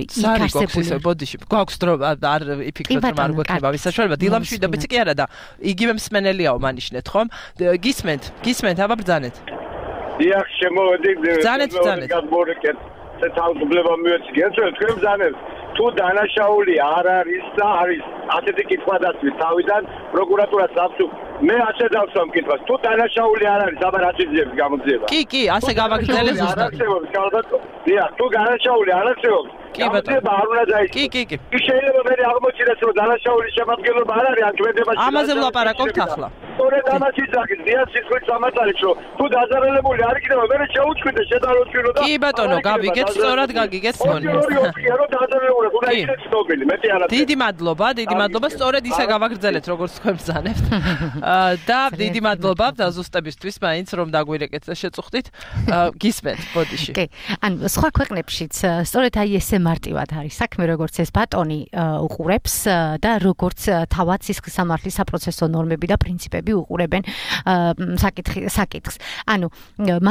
იქ არსებული ბოდიში გვაქვს დრო არ იფიქროთ რომ არ გვექნება ვის საშუალება დილამშვიდ და ბიცი კი არა და იგივე მსმენელიაო მანიშნეთ ხომ გისმენთ აბა ბრძანეთ დიახ შემოვედი ბრძანეთ გადმორეკეთ თავგებლობა მიეცგეთ თქვენ ბრძანეთ თუ დანაშაული არ არის და არის ასეთი კითხვა დასვით თავიდან პროკურატურას აქვს მე ასე დავსვამ კითხვას თუ დანაშაული არ არის აბა რა შეიძლება გამოძიება კი ასე გავაგრძელე ზუსტად არ არსებობს კალბატო დიახ თუ დანაშაული არ არსებობს კი ბატონო არ უნდა დაიწყო კი შეიძლება მე აღმოჩნდეს რომ დანაშაულის შემადგენლობა არ არის ამ კვედებაში ამაზე ვლაპარაკობთ ახლა სწორედ ამას იზრახის დიახ სიტყვის სამართალიც რომ თუ დაზარალებული არ იქნება მე შეუჩვიდე შედაროჩვირო და კი ბატონო გავიგეთ სწორად გაგიგეთ დიდი მადლობა სწორედ ისე გავაგრძელეთ როგორც თქვენ ბრძანებთ და დიდი მადლობა დაზუსტებისთვის მაინც რომ დაგვირეკეთ და შეწუხდით გისმენთ ბოდიში კი ანუ სხვა ქვეყნებშიც სწორედ აი ესე მარტივად არის საქმე როგორც ეს ბატონი უყურებს და როგორც თავად სისხლის სამართლის საპროცესო ნორმები და პრინციპები უყურებენ საკითხს ანუ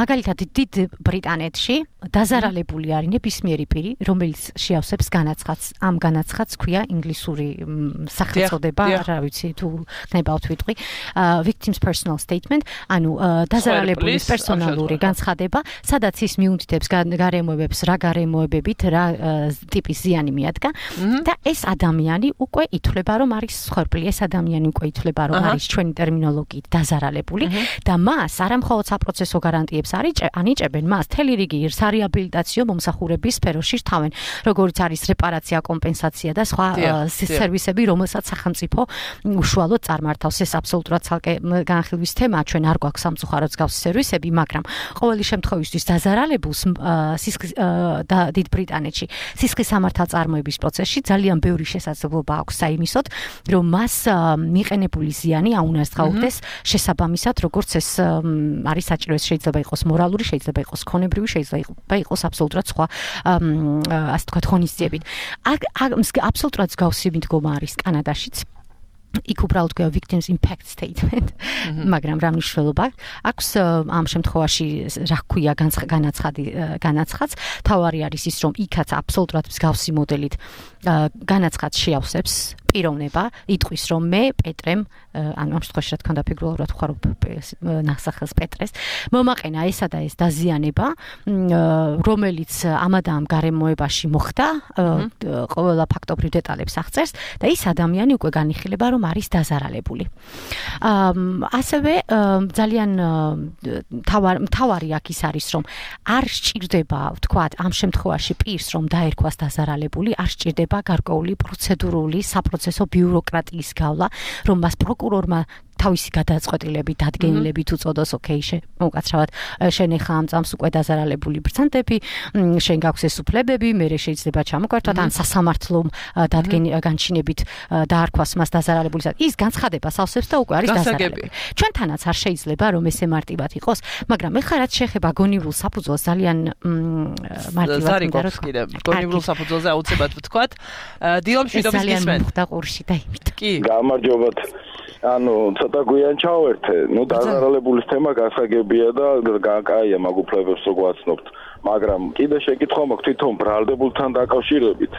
მაგალითად დიდ ბრიტანეთში დაზარალებული არის ნებისმიერი პირი რომელიც შეავსებს განაცხადს ამ განაცხადს ქვია ინგლისური სახელწოდება რა ვიცი თუ ხნებავთ ვიტყვი victim's personal statement ანუ დაზარალებულის პერსონალური განცხადება სადაც ის მიუნდიდებს გარემოებებს რა გარემოებებით რა ტიპის ზიანი მიადგა და ეს ადამიანი უკვე ითვლება რომ არის მსხვერპლი ეს ადამიანი უკვე ითვლება რომ არის ჩვენი ტერმინოლოგიით დაზარალებული და მას არამხოლოდ საპროცესო გარანტიებს ანიჭებენ მას თელი რიგი სარეაბილიტაციო მომსახურების სფეროში რთავენ როგორც არის რეპარაცია კომპენსაცია და სხვა სერვისები რომელსაც სახელმწიფო უშუალოდ წარმართავს ეს აბსოლუტურად ცალკე განხილვის თემაა ჩვენ არ გვაქვს სამწუხაროდ მსგავსი სერვისები მაგრამ ყოველი შემთხვევისთვის დაზარალებულს დიდ ბრიტანეთში სისხლის სამართალწარმოების პროცესში ძალიან ბევრი შესაძლებლობა აქვს საიმისოდ რომ მას მიყენებული ზიანი აუნაზღაუდეს შესაბამისად როგორც ეს არის საჭირო ეს შეიძლება იყოს მორალური შეიძლება იყოს ქონებრივი შეიძლება იყოს აბსოლუტურად სხვა ასე თქვა ღონისძიებით აბსოლუტურად მსგავსი მიდგომა არის კანადაშიც იქ უბრალოდ გვია victims impact statement მაგრამ რა მნიშვნელობა აქვს ამ შემთხვევაში რა ქვია განაცხადს თავარი არის ის რომ იქაც აბსოლუტურად მსგავსი მოდელით განაცხადს შეავსებს პიროვნება იტყვის რომ მე პეტრემ ანუ ამ შემთხვევაში რა თქმა უნდა ფიგურალურად ვხარ ნახსახელს პეტრეს მომაყენა ესა და ეს დაზიანება რომელიც ამადა ამ გარემოებაში მოხდა ყველა ფაქტობრივ დეტალებს აღწერს და ის ადამიანი უკვე განიხილება რომ არის დაზარალებული ასევე ძალიან თავარი აქ ის არის რომ არ სჭირდება ვთქვათ ამ შემთხვევაში პირს რომ დაერქვას დაზარალებული არ სჭირდება გარკვეული პროცედურული საპროცესო ბიუროკრატიის გავლა რომ მას პროკურორმა თავისი გადაწყვეტილებით დადგენილებით უწოდოს ოკეი უკაცრავად შენ ახლა ამ წამს უკვე დაზარალებული ბრძანდები შენ გაქვს ეს უფლებები მე შეიძლება ჩამოგვერთვათ ან სასამართლომ განჩინებით დაარქვას მას დაზარალებულისად ის განცხადება სავსებს და უკვე არის დაზარალებული ჩვენთანაც არ შეიძლება რომ ესე მარტივად იყოს მაგრამ ეხლა რაც შეეხება გონივრულ საფუძველს ძალიან მარტივად მინდა რომ კიდე გონივრულ საფუძველზე აუცილებლად ვთქვათ დილამშვიდობის გისმენთ და ყურში და იმით კი გამარჯობათ ანუ ცოტა გვიან ჩავერთე, ნუ დაზარალებულის თემა გასაგებია და კაია მაგ უფლებებს რო გვაცნობთ, მაგრამ კიდე შეკითხვა მაქვს თვითონ ბრალდებულთან დაკავშირებით.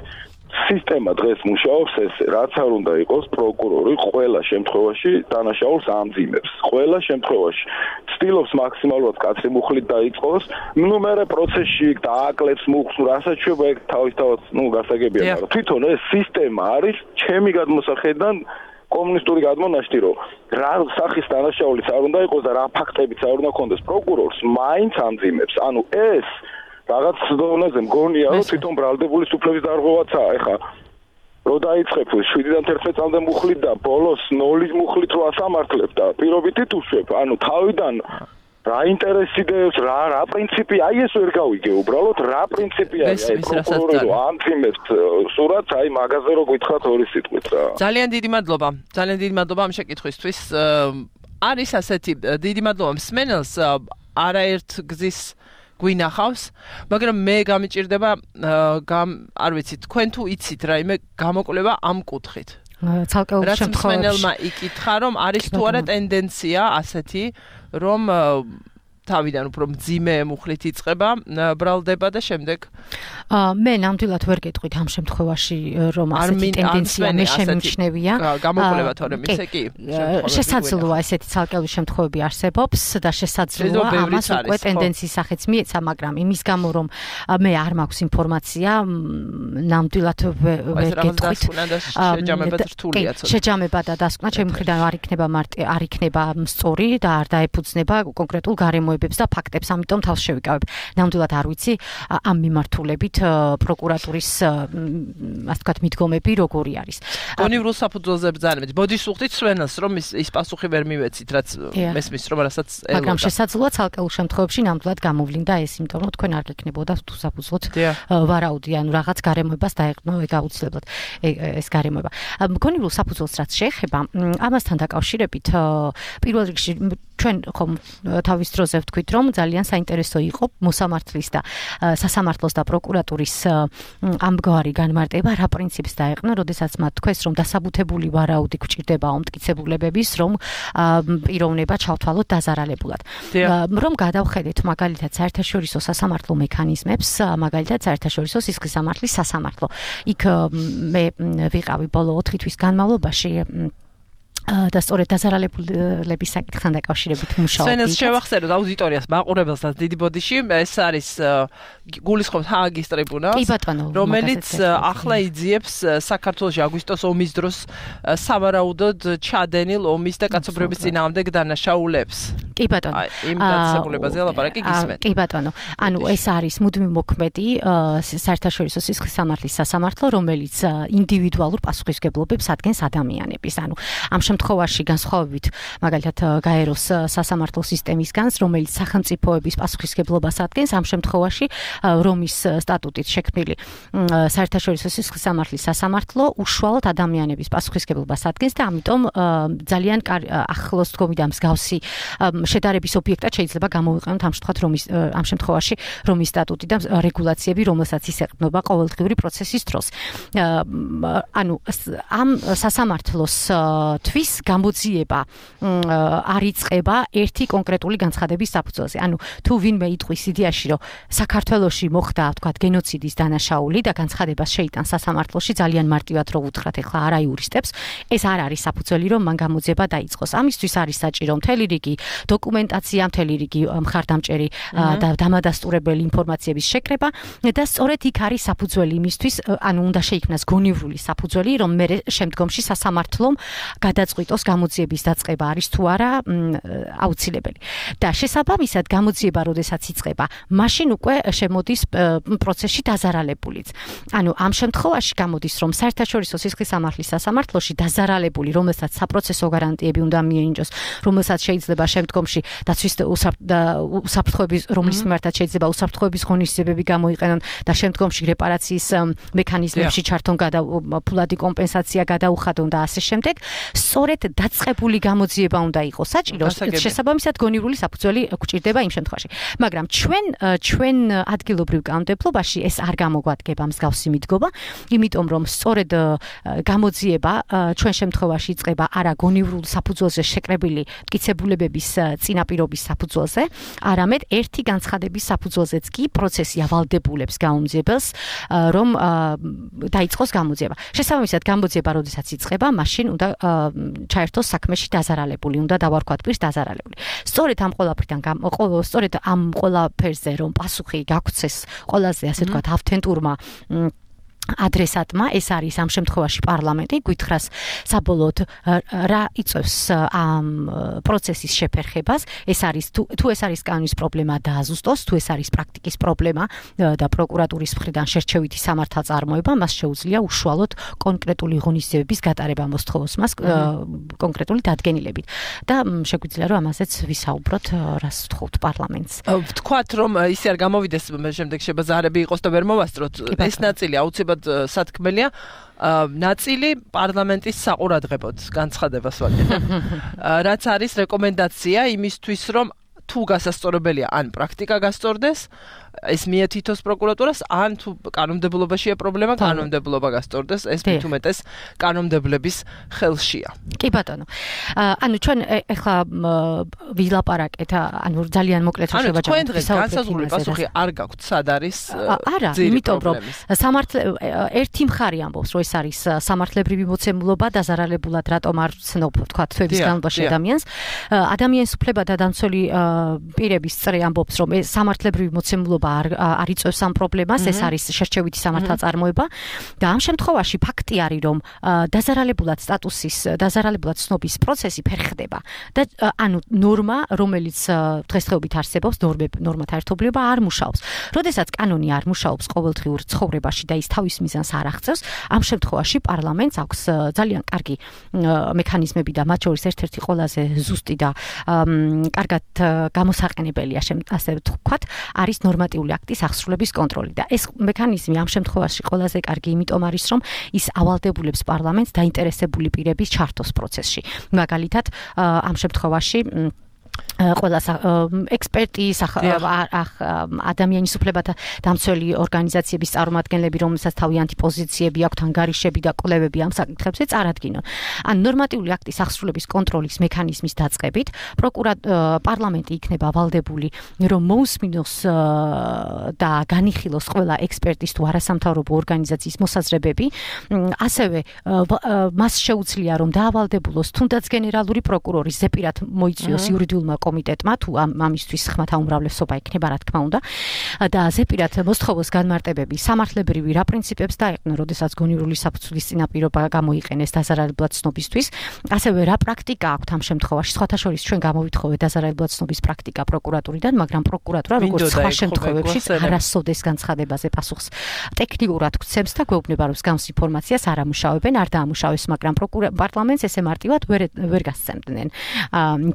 სისტემა დღეს მუშაობს ეს, რაც არ უნდა იყოს პროკურორი ყველა შემთხვევაში დანაშაულს ამძიმებს. ყველა შემთხვევაში ცდილობს მაქსიმალურად კაცრი მუხლით დაიწყოს, ნუ მერე პროცესში დააკლებს მუხლს, რასაც შეიძლება თავისთავად, ნუ გასაგებია, მაგრამ თვითონ ეს სისტემა არის ჩემი გადმოსახედიდან კომუნისტური გადმონაშთი რომ რა სახის დანაშაულიც არ უნდა იყოს და რა ფაქტებიც არ უნდა ქონდეს პროკურორს მაინც ამძიმებს ანუ ეს რაღაც დონეზე მგონია რომ თვითონ ბრალდებულის უფლების დარღვევაცაა ეხა რო დაიწყებ 7-დან 11 წამდე მუხლით და ბოლოს 0-ის მუხლით რო ასამართლებ და პირობითით უშვებ ანუ თავიდან რა ინტერესი დევს რა პრინციპი აი ეს ვერ გავიგე უბრალოდ რა პრინციპი არის აი პროკურორი რო ამძიმებს სურათს აი მაგაზე რო გითხრათ ორი სიტყვით რა ძალიან დიდი მადლობა ამ შეკითხვისთვის არის ასეთი დიდი მადლობა მსმენელს არაერთ გზის გვინახავს მაგრამ მე გამიჭირდება არ ვიცი თქვენ თუ იცით რაიმე გამოკვლევა ამ კუთხით ცალკეულ შემთხვევაში მსმენელმა იკითხა რომ არის თუ არა ტენდენცია ასეთი რომ თავიდან უფრო მძიმე მუხლით იწყება, ბრალდება და შემდეგ მე ნამდვილად ვერ გეტყვით ამ შემთხვევაში რომ ასეთი ტენდენცია მე შემიმჩნევია. გამოკვლევა თორემ ისე კი. შესაძლოა ესეთი ცალკეული შემთხვევები არსებობს და შესაძლოა ამას უკვე ტენდენციის სახეც მიეცა, მაგრამ იმის გამო რომ მე არ მაქვს ინფორმაცია, ნამდვილად ვერ გეტყვით. შეჯამება და დასკვნა ჩემი მხრიდან არ იქნება სწორი და არ დაეფუძნება კონკრეტულ გარემოებებს და ფაქტებს, ამიტომ თავს შევიკავებ. ნამდვილად არ ვიცი ამ მიმართულებით პროკურატურის ასე ვთქვათ მიდგომები როგორი არის. გონივრულ საფუძველზე ბრძანებით. ბოდიშს უხდით სვენელს, რომ ის პასუხი ვერ მივეცით, რაც მესმის რომ რასაც ელოდა. მაგრამ შესაძლოა ცალკეულ შემთხვევებში ნამდვილად გამოვლინდა ეს, იმიტომ რომ თქვენ არ გეკნებოდა თუ საფუძვლოდ ვარაუდი, ანუ რაღაც გარემოებას დაეყნო ეგ აუცილებლად ეს გარემოება. გონივრულ საფუძველს რაც შეეხება, ამასთან დაკავშირებით პირველ რიგში ჩვენ ხომ თავის დროზე ვთქვით, რომ ძალიან საინტერესო იყო მოსამართლის და სასამართლოს და პროკურატურის ამგვარი განმარტება რა პრინციპს დაეყნა, როდესაც მათ თქვეს, რომ დასაბუთებული ვარაუდი გვჭირდება უმტკიცებულებების, რომ პიროვნება ჩავთვალოთ დაზარალებულად. რომ გადავხედეთ მაგალითად საერთაშორისო სასამართლო მექანიზმებს, მაგალითად საერთაშორისო სისხლის სამართლის სასამართლო. იქ მე ვიყავი ბოლო 4 თვის განმავლობაში და სწორედ დაზარალებულების საკითხთან დაკავშირებით მუშაობდი. სვენელს შევახსენოთ აუდიტორიას, მაყურებელსაც დიდი ბოდიში, ეს არის გულისხმობთ ჰააგის ტრიბუნალს, რომელიც ახლა იძიებს საქართველოში აგვისტოს ომის დროს სავარაუდოდ ჩადენილ ომის და კაცობრიობის წინააღმდეგ დანაშაულებს. კი ბატონო. იმ დაწესებულებაზე ლაპარაკი გისმენთ. კი ბატონო. ანუ ეს არის მუდმივ მოქმედი საერთაშორისო სისხლის სამართლის სასამართლო, რომელიც ინდივიდუალურ პასუხისმგებლობებს ადგენს ადამიანების. ანუ ამ შემთხვევაში განსხვავებით მაგალითად გაეროს სასამართლო სისტემისგან, რომელიც სახელმწიფოების პასუხისმგებლობას ადგენს, ამ შემთხვევაში რომის სტატუტით შექმნილი საერთაშორისო სისხლის სამართლის სასამართლო უშუალოდ ადამიანების პასუხისმგებლობას ადგენს და ამიტომ ძალიან ახლოს დგომი და მსგავსი შედარების ობიექტად შეიძლება გამოვიყენოთ ამ შემთხვევაში რომის სტატუტი და რეგულაციები, რომელსაც ის ეყრდნობა ყოველდღიური პროცესის დროს. ანუ ამ სასამართლოს თვის გამოძიება არ იწყება ერთი კონკრეტული განცხადების საფუძველზე. ანუ თუ ვინმე იტყვის იდეაში, რომ საქართველოში მოხდა, ვთქვათ, გენოციდის დანაშაული და განცხადებას შეიტანს სასამართლოში, ძალიან მარტივად რო უთხრათ ეხლა არა იურისტებს, ეს არ არის საფუძველი, რომ მან გამოძიება დაიწყოს. ამისთვის არის საჭირო მთელი რიგი დოკუმენტაცია, მთელი რიგი მხარდამჭერი და დამადასტურებელი ინფორმაციების შეკრება და სწორედ იქ არის საფუძველი იმისთვის, ანუ უნდა შეიქმნას გონივრული საფუძველი, რომ მე შემდგომში სასამართლომ გადაწყვიტოს გამოძიების დაწყება არის თუ არა აუცილებელი. და შესაბამისად გამოძიება როდესაც იწყება, მაშინ უკვე შემოდის პროცესში დაზარალებულიც. ანუ ამ შემთხვევაში გამოდის, რომ საერთაშორისო სისხლის სამართლის სასამართლოში დაზარალებული, რომელსაც საპროცესო გარანტიები უნდა მიენიჭოს, რომელსაც შეიძლება შემდგომში დაცვის უსაფრთხოების, რომლის მიმართაც შეიძლება უსაფრთხოების ღონისძიებები გამოიყენონ და შემდგომში რეპარაციის მექანიზმებში ჩართონ ფულადი კომპენსაცია გადაუხადონ და ასე შემდეგ. სწორედ დაწყებული გამოძიება უნდა იყოს საჭირო, შესაბამისად გონივრული საფუძველი გვჭირდება იმ შემთხვევაში. მაგრამ ჩვენ ადგილობრივ კანონმდებლობაში ეს არ გამოგვადგება მსგავსი მიდგომა, იმიტომ რომ სწორედ გამოძიება ჩვენ შემთხვევაში იწყება არა გონივრულ საფუძველზე შეკრებილი მტკიცებულებების წინაპირობის საფუძველზე, არამედ ერთი განცხადების საფუძველზეც კი პროცესი ავალდებულებს გამოძიებელს, რომ დაიწყოს გამოძიება. შესაბამისად გამოძიება როდესაც იწყება, მაშინ უნდა ჩაერთოს საქმეში დაზარალებული, უნდა დავარქვათ პირს დაზარალებული. სწორედ ამ ყველაფერზე რომ პასუხი გაგცეს ყველაზე ასე ვთქვათ ავთენტურმა ადრესატმა, ეს არის ამ შემთხვევაში პარლამენტი, გითხრას საბოლოოდ რა იწევს ამ პროცესის შეფერხებას, ეს არის თუ ეს არის კანონის პრობლემა დააზუსტოს, თუ ეს არის პრაქტიკის პრობლემა და პროკურატურის მხრიდან შერჩევითი სამართალწარმოება, მას შეუძლია უშუალოდ კონკრეტული ღონისძიებების გატარება მოსთხოვოს მას კონკრეტული დადგენილებით. და შეგვიძლია რომ ამაზეც ვისაუბროთ, რას ვთხოვთ პარლამენტს. ვთქვათ რომ ისე არ გამოვიდეს შემდეგ შებაზარები იყოს და ვერ მოვასწროთ, ეს ნაწილი აუცილებლად სათქმელია, ნაწილი პარლამენტის საყურადღებოდ განცხადებას ვაკეთებ. რაც არის რეკომენდაცია იმისთვის, რომ თუ გასასწორებელია ან პრაქტიკა გასწორდეს, ეს მიეთითოს პროკურატურას, ან თუ კანონმდებლობაშია პრობლემა, კანონმდებლობა გასწორდეს, ეს მით უმეტეს კანონმდებლების ხელშია. კი ბატონო. ანუ ჩვენ ეხლა ვილაპარაკეთ, ანუ ძალიან მოკლედ შევა ჩვენ დღეს განსაზღვრული პასუხი არ გაქვთ, სად არის არა, იმიტომ რომ ერთი მხარე ამბობს, რომ ეს არის სამართლებრივი მოცემულობა დაზარალებულად რატომ არ ცნობ თქვა თვეების განმავლობაში ადამიანს. ადამიანის უფლებათა დამცველი პირების წრე ამბობს, რომ ეს სამართლებრივი მოცემულობა არ იწვევს ამ პრობლემას, ეს არის შერჩევითი სამართალწარმოება და ამ შემთხვევაში ფაქტი არის, რომ დაზარალებულად ცნობის პროცესი ფერხდება და ანუ ნორმა, რომელიც დღესდღეობით არსებობს, ნორმათა ერთობლიობა არ მუშაობს. როდესაც კანონი არ მუშაობს ყოველდღიურ ცხოვრებაში და ის თავის მიზანს არ აღწევს, ამ შემთხვევაში პარლამენტს აქვს ძალიან კარგი მექანიზმები და მათ შორის ერთ-ერთი ყველაზე ზუსტი და კარგად გამოსაყენებელია, ასე ვთქვათ, არის ნორმატიული აქტის აღსრულების კონტროლი და ეს მექანიზმი ამ შემთხვევაში ყველაზე კარგი იმიტომ არის, რომ ის ავალდებულებს პარლამენტს დაინტერესებული პირების ჩართოს პროცესში. მაგალითად, ამ შემთხვევაში ყველა ექსპერტი, ადამიანის უფლებათა დამცველი ორგანიზაციების წარმომადგენლები, რომელსაც თავიანთი პოზიციები აქვთ, ანგარიშები და კვლევები ამ საკითხებზე წარადგინონ. ან ნორმატიული აქტის აღსრულების კონტროლის მექანიზმის დაწყებით, პარლამენტი იქნება ავალდებული, რომ მოусმინოს და განიხილოს ყველა ექსპერტის თუ არასამთავრობო ორგანიზაციის მოსაზრებები, ასევე მას შეუძლია, რომ დაავალდებულოს თუნდაც გენერალური პროკურორის ზეპირად მოიწვიოს იურიდიულმა კომიტეტმა თუ ამისთვის ხმათა უმრავლესობა იქნება, რა თქმა უნდა, და ზეპირად მოსთხოვოს განმარტებები სამართლებრივი რა პრინციპებს დაეყნო, როდესაც გონივრული საფუძვლის წინაპირობა გამოიყენეს დაზარალებლად ცნობისთვის, ასევე რა პრაქტიკა აქვთ ამ შემთხვევაში. სხვათა შორის ჩვენ გამოვითხოვეთ დაზარალებლად ცნობის პრაქტიკა პროკურატურიდან, მაგრამ პროკურატურა როგორც სხვა შემთხვევებში არასოდეს განცხადებაზე პასუხს ტექნიკურად გვცემს და გვეუბნება, რომ მსგავს ინფორმაციას არ ამუშავებენ, არ დაამუშავეს, მაგრამ პარლამენტს ესე მარტივად ვერ გასცემდნენ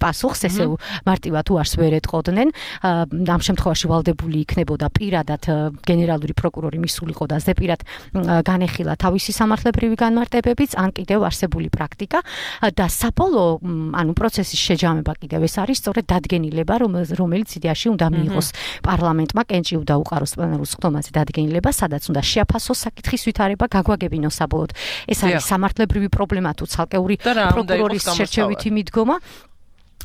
პასუხს, ესე მარტივად უარს ვერ ეტყოდნენ. ამ შემთხვევაში ვალდებული იქნებოდა პირადად გენერალური პროკურორი მისულიყო და ზეპირად განეხილა თავისი სამართლებრივი განმარტებებიც, ან კიდევ არსებული პრაქტიკა და საბოლოო, ანუ პროცესის შეჯამება კიდევ ეს არის სწორედ დადგენილება, რომელიც იდეაში უნდა მიიღოს პარლამენტმა, კენჭი უნდა უყაროს პლენარულ სხდომაზე დადგენილება, სადაც უნდა შეაფასოს საკითხის ვითარება, გაგვაგებინოს საბოლოოდ. ეს არის სამართლებრივი პრობლემა თუ ცალკეული პროკურორის შერჩევითი მიდგომა.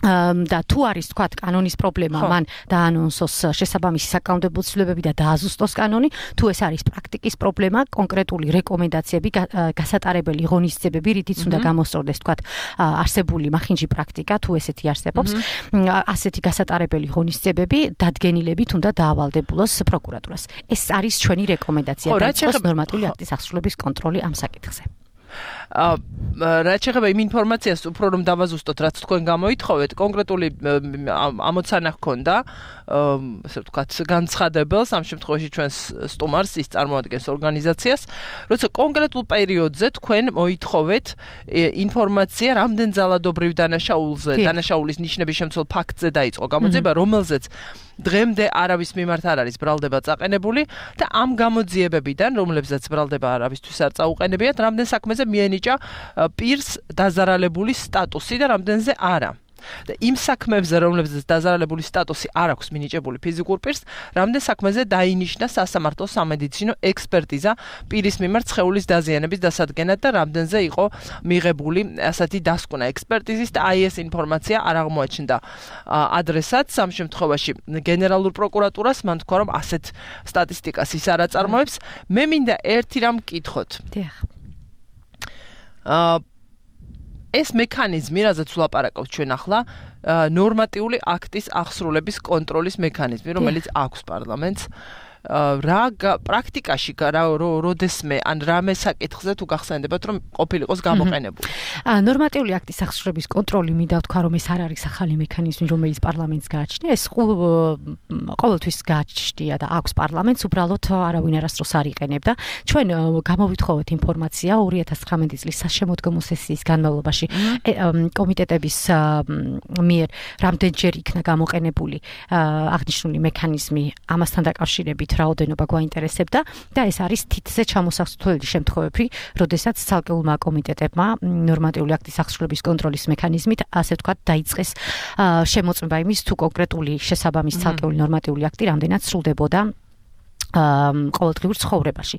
და თუ არის თქვა კანონის პრობლემა, მან დაანონსოს შესაბამისი საკანონმდებლო ცვლილებები და დააზუსტოს კანონი, თუ ეს არის პრაქტიკის პრობლემა, კონკრეტული რეკომენდაციები, გასატარებელი ღონისძიებები, რითიც უნდა გამოსწორდეს თქვა არსებული მახინჯი პრაქტიკა, თუ ესეთი არსებობს, ასეთი გასატარებელი ღონისძიებები დადგენილებით უნდა დაავალდებულოს პროკურატურას. ეს არის ჩვენი რეკომენდაცია და ნორმატიული აქტის აღსრულების კონტროლი ამ საკითხზე. რაც შეეხება იმ ინფორმაციას, უფრო რომ დავაზუსტოთ, რაც თქვენ გამოითხოვეთ, კონკრეტული ამოცანა ჰქონდა, ასე ვთქვათ, განცხადებელს, ამ შემთხვევაში ჩვენს სტუმარს, ის წარმოადგენს ორგანიზაციას, როცა კონკრეტულ პერიოდზე თქვენ მოითხოვეთ ინფორმაცია, რამდენ ძალადობრივ დანაშაულის ნიშნების შემცველ ფაქტზე დაიწყო გამოძიება, რომელზეც დღემდე არავის მიმართ არ არის ბრალდება წაყენებული და ამ გამოძიებებიდან, რომლებზეც ბრალდება არავისთვის არ წაუყენებიათ, რამდენ საქმეზე მიენიჭა პირს დაზარალებული სტატუსი და რამდენზე არა. და იმ საქმეებზე, რომლებზეც დაზარალებული სტატუსი არ აქვს მინიჭებული ფიზიკურ პირს, რამდენ საქმეზე დაინიშნა სასამართლო სამედიცინო ექსპერტიზა პირის მიმართ სხეულის დაზიანების დასადგენად და რამდენზე იყო მიღებული ასეთი დასკვნა ექსპერტიზის და აი ეს ინფორმაცია არ აღმოაჩნდა ადრესატს. ამ შემთხვევაში გენერალურ პროკურატურას მან თქვა, რომ ასეთ სტატისტიკას ის არ აწარმოებს. მე მინდა ერთი რამ მკითხოთ. ეს მექანიზმი, რაზეც ვლაპარაკობთ ჩვენ ახლა, ნორმატიული აქტის აღსრულების კონტროლის მექანიზმი, რომელიც აქვს პარლამენტს, რა პრაქტიკაში როდესმე ან რამე საკითხზე თუ გახსენდებათ, რომ ყოფილიყოს გამოყენებული. ნორმატიული აქტის აღსრულების კონტროლი მინდა ვთქვა, რომ ეს არ არის ახალი მექანიზმი, რომელიც პარლამენტს გააჩნია, ეს ყოველთვის გააჩნია და აქვს პარლამენტს, უბრალოდ არავინ არასდროს არ იყენებდა. ჩვენ გამოვითხოვეთ ინფორმაცია 2019 წლის საშემოდგომო სესიის განმავლობაში კომიტეტების მიერ რამდენჯერ იქნა გამოყენებული აღნიშნული მექანიზმი ამასთან დაკავშირებით რაოდენობა გვაინტერესებდა და ეს არის თითზე ჩამოსასვლელი შემთხვევები, როდესაც ცალკეულმა კომიტეტებმა ნორმატიული აქტის აღსრულების კონტროლის მექანიზმით, ასე ვთქვათ, დაიწყეს შემოწმება იმის, თუ კონკრეტული შესაბამის ცალკეული ნორმატიული აქტი რამდენად სრულდებოდა ყოველდღიურ ცხოვრებაში.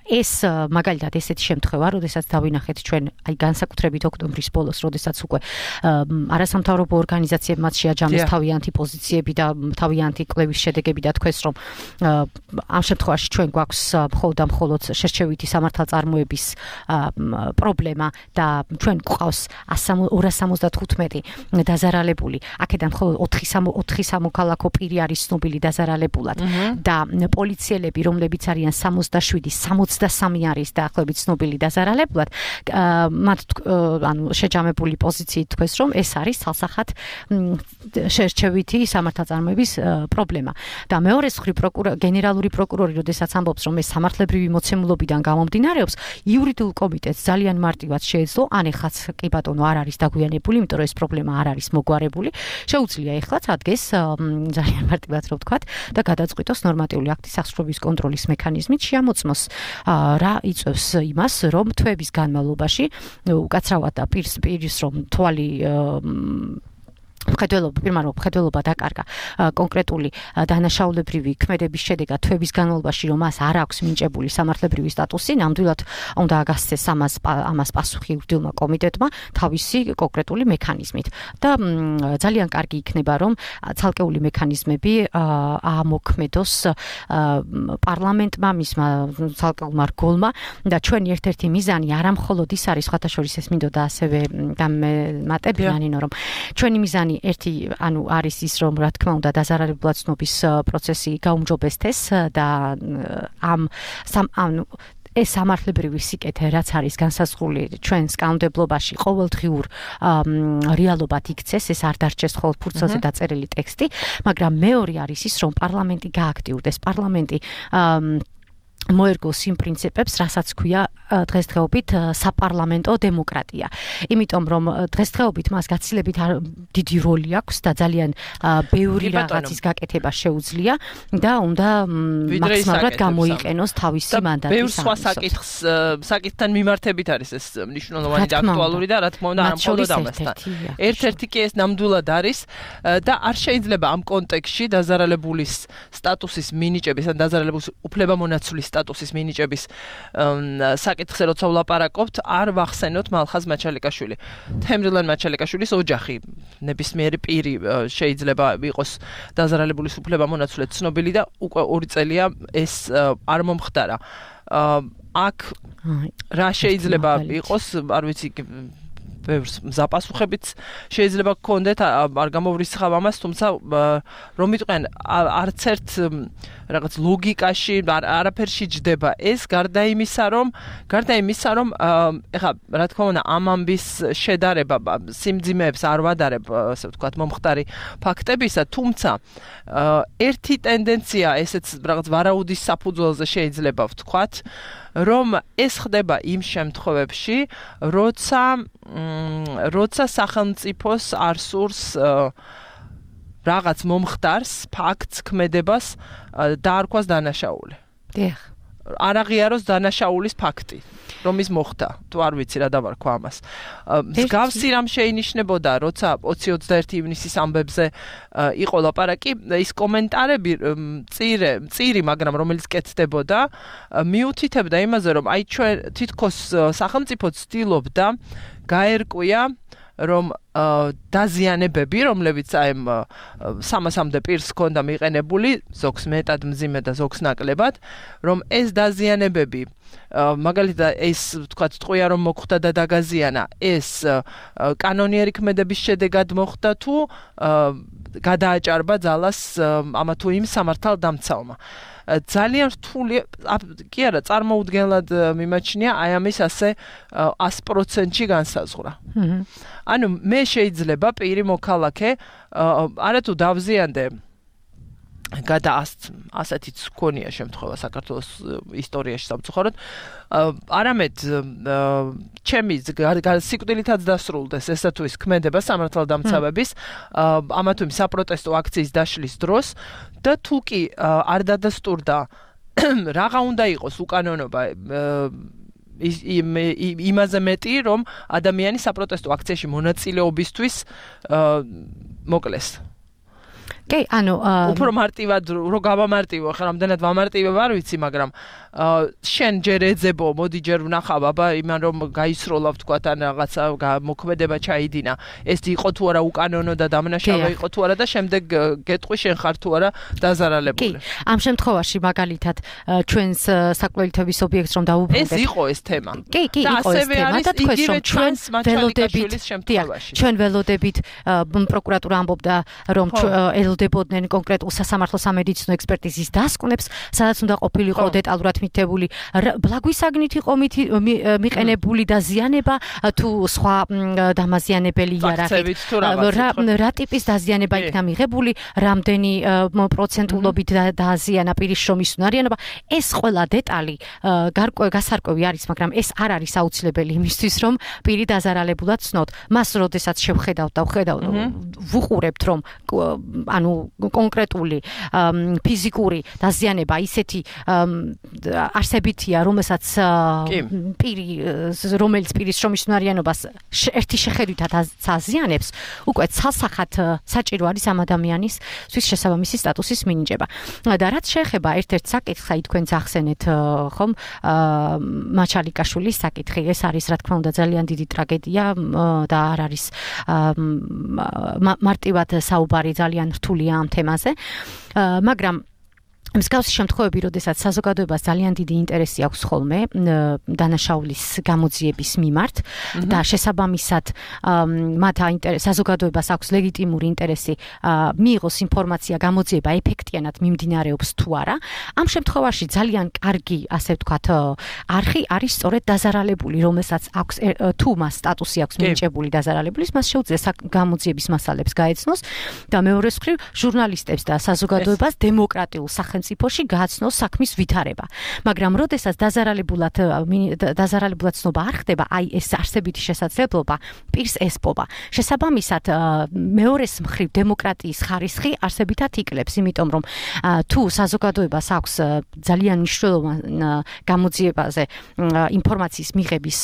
ეს მაგალითად ესეთი შემთხვევა, როდესაც დავინახეთ ჩვენ აი განსაკუთრებით ოქტომბრის ბოლოს, როდესაც უკვე არასამთავრობო ორგანიზაციებმაც შეაჯამეს თავიანთი პოზიციები და თავიანთი კვლევის შედეგები და თქვეს, რომ ამ შემთხვევაში ჩვენ გვაქვს მხოლოდ შერჩევითი სამართალწარმოების პრობლემა და ჩვენ გვყავს 275 დაზარალებული. აქედან მხოლოდ 4 სამოქალაქო პირი არის ცნობილი დაზარალებულად და პოლიციელები, რომლებიც არიან 67-63 არის დაახლოებით ცნობილი დაზარალებულად, მათ შეჯამებული პოზიციით თქვეს, რომ ეს არის ცალსახად შერჩევითი სამართალწარმოების პრობლემა. და მეორე მხრივ გენერალური პროკურორი, როდესაც ამბობს, რომ ეს სამართლებრივი მოცემულობიდან გამომდინარეობს, იურიდიულ კომიტეტს ძალიან მარტივად შეეძლო, ან ეხლაც კი ბატონო არ არის დაგვიანებული, იმიტომ რომ ეს პრობლემა არ არის მოგვარებული, შეუძლია ეხლაც ადგეს ძალიან მარტივად რო ვთქვათ და გადაწყვიტოს ნორმატიული აქტის აღსრულების კონტროლის მექანიზმით შეამოწმოს რა იწევს იმას, რომ თვეების განმავლობაში უკაცრავად და პირის რომ თვალი მხედველობა დაკარგა კონკრეტული დანაშაულებრივი ქმედების შედეგად თვეების განმავლობაში, რომ მას არ აქვს მინჭებული სამართლებრივი სტატუსი, ნამდვილად უნდა აგასცეს ამას პასუხი იურიდიულმა კომიტეტმა თავისი კონკრეტული მექანიზმით. და ძალიან კარგი იქნება, რომ ცალკეული მექანიზმები ამოქმედოს პარლამენტმა, მისმა ცალკეულმა რგოლმა და ჩვენი ერთ-ერთი მიზანი არა მხოლოდ ის არის, სხვათა შორის ეს მინდოდა ასევე დამემატებიან, რომ ჩვენი მიზანი არის ის, რომ რა თქმა უნდა დაზარალებულად ცნობის პროცესი გაუმჯობესდეს და ეს სამართლებრივი სიკეთე, რაც არის განსაზღვრული ჩვენს კანონმდებლობაში, ყოველდღიურ რეალობად იქცეს, ეს არ დარჩეს მხოლოდ ფურცელზე დაწერილი ტექსტი, მაგრამ მეორე არის ის, რომ პარლამენტი გააქტიურდეს, პარლამენტი მოერგოს იმ პრინციპებს, რასაც ქვია დღესდღეობით საპარლამენტო დემოკრატია. იმიტომ რომ დღესდღეობით მას გაცილებით დიდი როლი აქვს და ძალიან ბევრი რაღაცის გაკეთება შეუძლია და უნდა მაქსიმალურად გამოიყენოს თავისი მანდატი. ბევრ სხვა საკითხთან მიმართებით არის ეს მნიშვნელოვანი და აქტუალური და რა თქმა უნდა არ მხოლოდ ამასთან. ერთ-ერთი კი ეს ნამდვილად არის და არ შეიძლება ამ კონტექსტში დაზარალებულის სტატუსის მინიჭების ან დაზარალებულის უფლებამონაცვლის სტატუსის მინიჭების საკითხზე როცა ვლაპარაკობთ, არ ვახსენოთ მალხაზ მაჩალიკაშვილი. თემრილან მაჩალიკაშვილის ოჯახი, ნებისმიერი პირი შეიძლება იყოს დაზარალებულის უფლებამონაცვლად ცნობილი და უკვე 2 წელია ეს არ მომხდარა. აქ რა შეიძლება იყოს, არ ვიცი, ბევრს მზაპასუხებიც შეიძლება გქონდეთ, არ გამოვრისხავ ამას, თუმცა რომ მიტყვიან არც ერთ რაღაც ლოგიკაში არაფერში ჯდება ეს, გარდა იმისა, რომ ეხლა რა თქმა უნდა ამ ამბის შედარება სიმძიმეებს არ ვადარებ, ასე ვთქვათ, მომხდარი ფაქტებისა, თუმცა ერთი ტენდენცია ესეც რაღაც ვარაუდის საფუძველზე შეიძლება ვთქვათ, რომ ეს ხდება იმ შემთხვევებში, როცა სახელმწიფოს არ სურს რაღაც მომხდარს, ფაქტს, ქმედებას დაარქვას დანაშაული. დიახ. არ აღიაროს დანაშაულის ფაქტი, რომ ის მოხდა. თუ არ ვიცი რა დავარქვა ამას. მსგავსი რამ შეინიშნებოდა, როცა 20-21 ივნისის ამბებზე იყო ლაპარაკი, ის კომენტარები წირი, მაგრამ რომელიც კეთდებოდა, მიუთითებდა იმაზე, რომ აი ჩვენ თითქოს სახელმწიფო ცდილობდა გაერკვია, რომ დაზიანებები, რომლებიც აი 300-მდე პირს ჰქონდა მიყენებული, ზოგს მეტად მძიმე და ზოგს ნაკლებად, რომ ეს დაზიანებები, მაგალითად ეს ვთქვათ, ტყვია რომ მოხდა და დაგაზიანა, ეს კანონიერი ქმედების შედეგად მოხდა თუ გადააჭარბა ძალას ამა თუ იმ სამართალდამცავმა. ძალიან რთული, კი არა, წარმოუდგენლად მიმაჩნია აი ამის ასე 100%-ში განსაზღვრა. ანუ მე შეიძლება პირი მოქალაქე არათუ დავზიანდე ასეთიც გქონია შემთხვევა საქართველოს ისტორიაში სამწუხაროდ, არამედ ჩემი სიკვდილითაც დასრულდეს ესა თუ ის ქმედება სამართალდამცავების ამა თუ იმ საპროტესტო აქციის დაშლის დროს და თუ კი არ დადასტურდა რაღა უნდა იყოს უკანონობა იმაზე მეტი, რომ ადამიანი საპროტესტო აქციაში მონაწილეობისთვის მოკლეს. კი, ანუ უფრო მარტივად რო გავამარტივო, ხა რამდენად ვამარტივებ არ ვიცი, მაგრამ შენ ჯერ ეძებო, მოდი ჯერ ვნახავ, აბა იმან რომ გაისროლა ვთქვათ ან რაღაცა მოქმედება ჩაიდინა. ეს იყო თუ არა უკანონო და დამნაშავე იყო თუ არა და შემდეგ გეტყვი შენ ხარ თუ არა დაზარალებული. კი, ამ შემთხვევაში მაგალითად ჩვენს საკვლევითობის ობიექტს რომ დავუბრუნდეთ. ეს იყო ეს თემა. კი, იყო ეს თემა და თქვენ რომ ჩვენ ველოდებით პროკურატურა ამბობდა რომ ელოდებოდნენ კონკრეტულ სასამართლო სამედიცინო ექსპერტიზის დასკვნებს, სადაც უნდა ყოფილიყო დეტალურად მითითებული ბლაგვისაგნით იყო მიყენებული დაზიანება თუ სხვა დამაზიანებელი იარაღით რა ტიპის დაზიანება იქნა მიღებული, რამდენი პროცენტულობით დააზიანა პირის შრომის უნარიანობა. ეს ყველა დეტალი გასარკვევი არის, მაგრამ ეს არ არის აუცილებელი იმისთვის, რომ პირი დაზარალებულად ცნოთ. მას როდესაც შევხედავთ და ვუყურებთ, რომ ანუ კონკრეტული ფიზიკური დაზიანება ისეთი არსებითია, რომელსაც რომელიც პირის შრომის უნარიანობას ერთი შეხედვითად აზიანებს, უკვე ცალსახად საჭირო არის ამ ადამიანისთვის შესაბამისი სტატუსის მინიჭება. და რაც შეეხება ერთ-ერთ საკითხს, აი თქვენ ახსენეთ ხომ მაჩალიკაშვილის საკითხი, ეს არის რა თქმა უნდა ძალიან დიდი ტრაგედია და არ არის მარტივად საუბარი ძალიან რთულია ამ თემაზე, მაგრამ მსგავსი შემთხვევები, როდესაც საზოგადოებას ძალიან დიდი ინტერესი აქვს ხოლმე დანაშაულის გამოძიების მიმართ და შესაბამისად მათ საზოგადოებას აქვს ლეგიტიმური ინტერესი მიიღოს ინფორმაცია გამოძიება ეფექტიანად მიმდინარეობს თუ არა. ამ შემთხვევაში ძალიან კარგი, ასე ვთქვათ, არხი არის სწორედ დაზარალებული, რომელსაც აქვს თუ მას სტატუსი აქვს მინიჭებული დაზარალებულის, მას შეუძლია გამოძიების მასალებს გაეცნოს და მეორეს მხრივ ჟურნალისტებს და საზოგადოებას დემოკრატიულ სახელმწიფოში გააცნოს საქმის ვითარება. მაგრამ როდესაც დაზარალებულად ცნობა არ ხდება, აი ეს არსებითი შესაძლებლობა პირს ესპობა. შესაბამისად, მეორეს მხრივ დემოკრატიის ხარისხი არსებითად იკლებს, იმიტომ რომ თუ საზოგადოებას აქვს ძალიან მნიშვნელოვანი გამოძიებაზე ინფორმაციის მიღების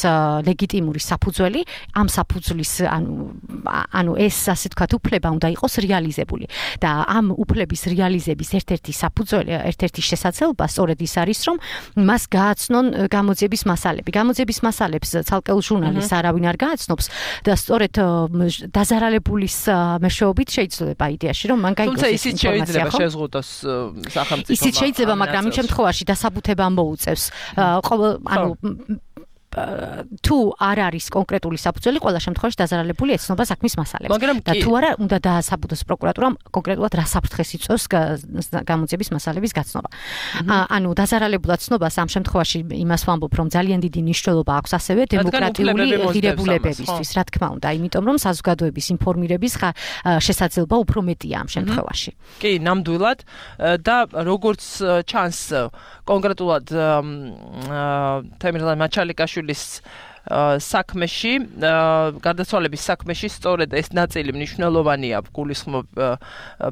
ლეგიტიმური საფუძველი, ამ საფუძვლის ანუ ეს ასე ვთქვათ უფლება უნდა იყოს რეალიზებული და ამ უფლების რეალიზების ერთ-ერთი საფუძველი, ერთ-ერთი შესაძლებლობა სწორედ ის არის, რომ მას გააცნონ გამოძიების მასალები. გამოძიების მასალებს ცალკეულ ჟურნალისტს არავინ არ გააცნობს და სწორედ დაზარალებულის მეშვეობით შეიძლება იდეაში, რომ მან გაიგოს ეს ინფორმაცია. თუმცა ისიც შეიძლება შეზღუდოს სახელმწიფო. ისიც შეიძლება, მაგრამ იმ შემთხვევაში დასაბუთება მოუწევს. ანუ თუ არ არის კონკრეტული საფუძველი, ყველა შემთხვევაში დაზარალებული ეცნობა საქმის მასალებს. და თუ არა, უნდა დაასაბუთოს პროკურატურამ კონკრეტულად რა საფრთხეს იწვევს გამოძიების მასალების გაცნობა. ანუ დაზარალებულად ცნობას ამ შემთხვევაში იმას ვამბობ, რომ ძალიან დიდი მნიშვნელობა აქვს ასევე დემოკრატიული ღირებულებებისთვის, რა თქმა უნდა, იმიტომ რომ საზოგადოების ინფორმირების შესაძლებლობა უფრო მეტია ამ შემთხვევაში. კი, ნამდვილად და როგორც ჩანს კონკრეტულად თემირლან მაჩალიკაშვილის საქმეში, გარდაცვალების საქმეში სწორედ ეს ნაწილი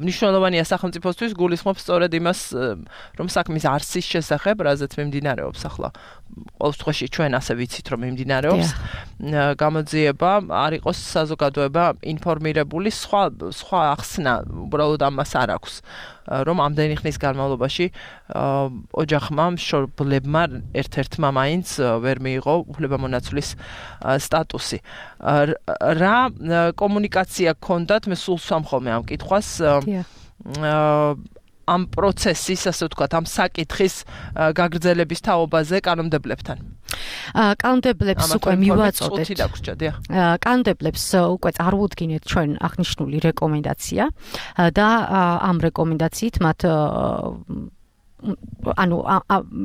მნიშვნელოვანია სახელმწიფოსთვის, გულისხმობს სწორედ იმას, რომ საქმის არსის შესახებ, რაზეც მიმდინარეობს ახლა. ყოველ შემთხვევაში ჩვენ ასე ვიცით, რომ მიმდინარეობს გამოძიება, არ იყოს საზოგადოება ინფორმირებული, სხვა ახსნა უბრალოდ ამას არ აქვს. რომ ამდენი ხნის განმავლობაში ოჯახმა, მშობლებმა ერთ-ერთმა მაინც ვერ მიიღო უფლებამონაცვლის სტატუსი. რა კომუნიკაცია გქონდათ, მე სულ სამხოლმე ამ კითხვას ამ პროცესის, ასე ვთქვათ, ამ საკითხის გაგრძელების თაობაზე კანონმდებლებთან. კანონმდებლებს უკვე მივაწოდეთ. წუთი დაგვრჩა, დიახ. კანონმდებლებს უკვე წარმოუდგინეთ ჩვენ აღნიშნული რეკომენდაცია და ამ რეკომენდაციით მათ ანუ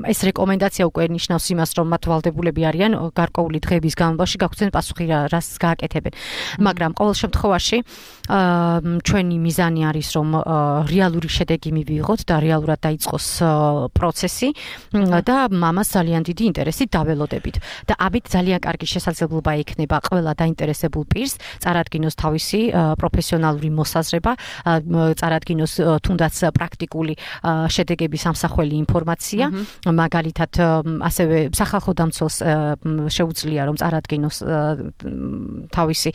ეს რეკომენდაცია უკვე ნიშნავს იმას, რომ მათ ვალდებულები არიან გარკვეული დღეების განმავლობაში გაგვცენ პასუხი რას გააკეთებენ. მაგრამ ყოველ შემთხვევაში ჩვენი მიზანი არის, რომ რეალური შედეგი მივიღოთ და რეალურად დაიწყოს პროცესი და მამას ძალიან დიდი ინტერესით დაველოდებით. და ამით ძალიან კარგი შესაძლებლობა ექნება ყველა დაინტერესებულ პირს წარადგინოს თავისი პროფესიონალური მოსაზრება, წარადგინოს თუნდაც პრაქტიკული შედეგების ამ გასახველი ინფორმაცია, მაგალითად ასევე სახალხო დამცველს შეუძლია რომ წარადგინოს თავისი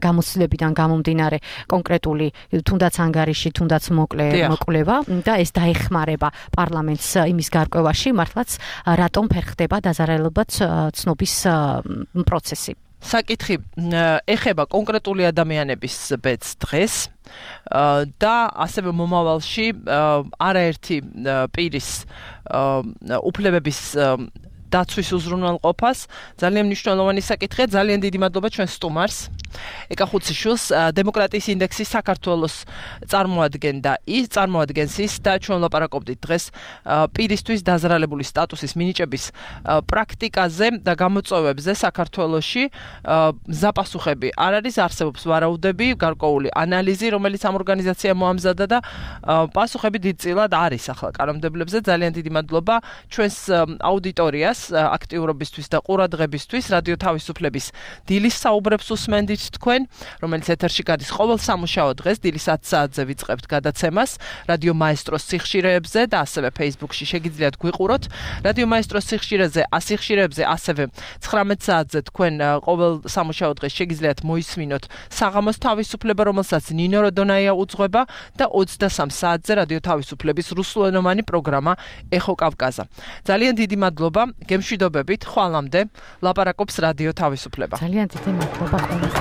გამოცდილებიდან გამომდინარე კონკრეტული თუნდაც ანგარიში, თუნდაც მოკვლევა და ეს დაეხმარება პარლამენტს იმის გარკვევაში, მართლაც რატომ ფერხდება დაზარალებად ცნობის პროცესი. საკითხი ეხება კონკრეტული ადამიანების ბედს დღეს და ასევე მომავალში არაერთი პირის უფლებების დაცვის უზრუნველყოფას ძალიან მნიშვნელოვანი საკითხია. ძალიან დიდი მადლობა ჩვენ სტუმარს ეკახუციშვილს დემოკრატიის ინდექსის საქართველოს წარმოადგენს ის და ჩვენ ლაპარაკობდით დღეს პირისთვის დაზარალებული სტატუსის მინიჭების პრაქტიკაზე და გამოწვევებზე საქართველოში. ზაპასუხები არ არის, არსებობს ვარაუდები, გარკვეული ანალიზი, რომელიც ამ ორგანიზაციამ მოამზადა და პასუხები დიდწილად არის ახლა კანონმდებლებზე. ძალიან დიდი მადლობა ჩვენს აუდიტორიას აქტიურობისთვის და ყურადღებისთვის. რადიო თავისუფლების დილის საუბრებს უსმენდით თქვენ, რომელიც ეთერში გადის ყოველ სამუშაო დღეს დილის 10 საათზე ვიწყებთ გადაცემას რადიო მაესტროს სიხშირეებზე და ასევე Facebook-ში შეგიძლიათ გვიყუროთ. რადიო მაესტროს სიხშირეზე, ასევე 19 საათზე თქვენ ყოველ სამუშაო დღეს შეგიძლიათ მოისმინოთ საღამოს თავისუფლება, რომელსაც ნინო როდონაია უძღვება და 23 საათზე რადიო თავისუფლების რუსულენოვანი პროგრამა ეხო კავკაზა. ძალიან დიდი მადლობა. გემშვიდობებით, ხვალამდე ლაპარაკობს რადიო თავისუფლება. ძალიან დიდი მადლობა ყველას.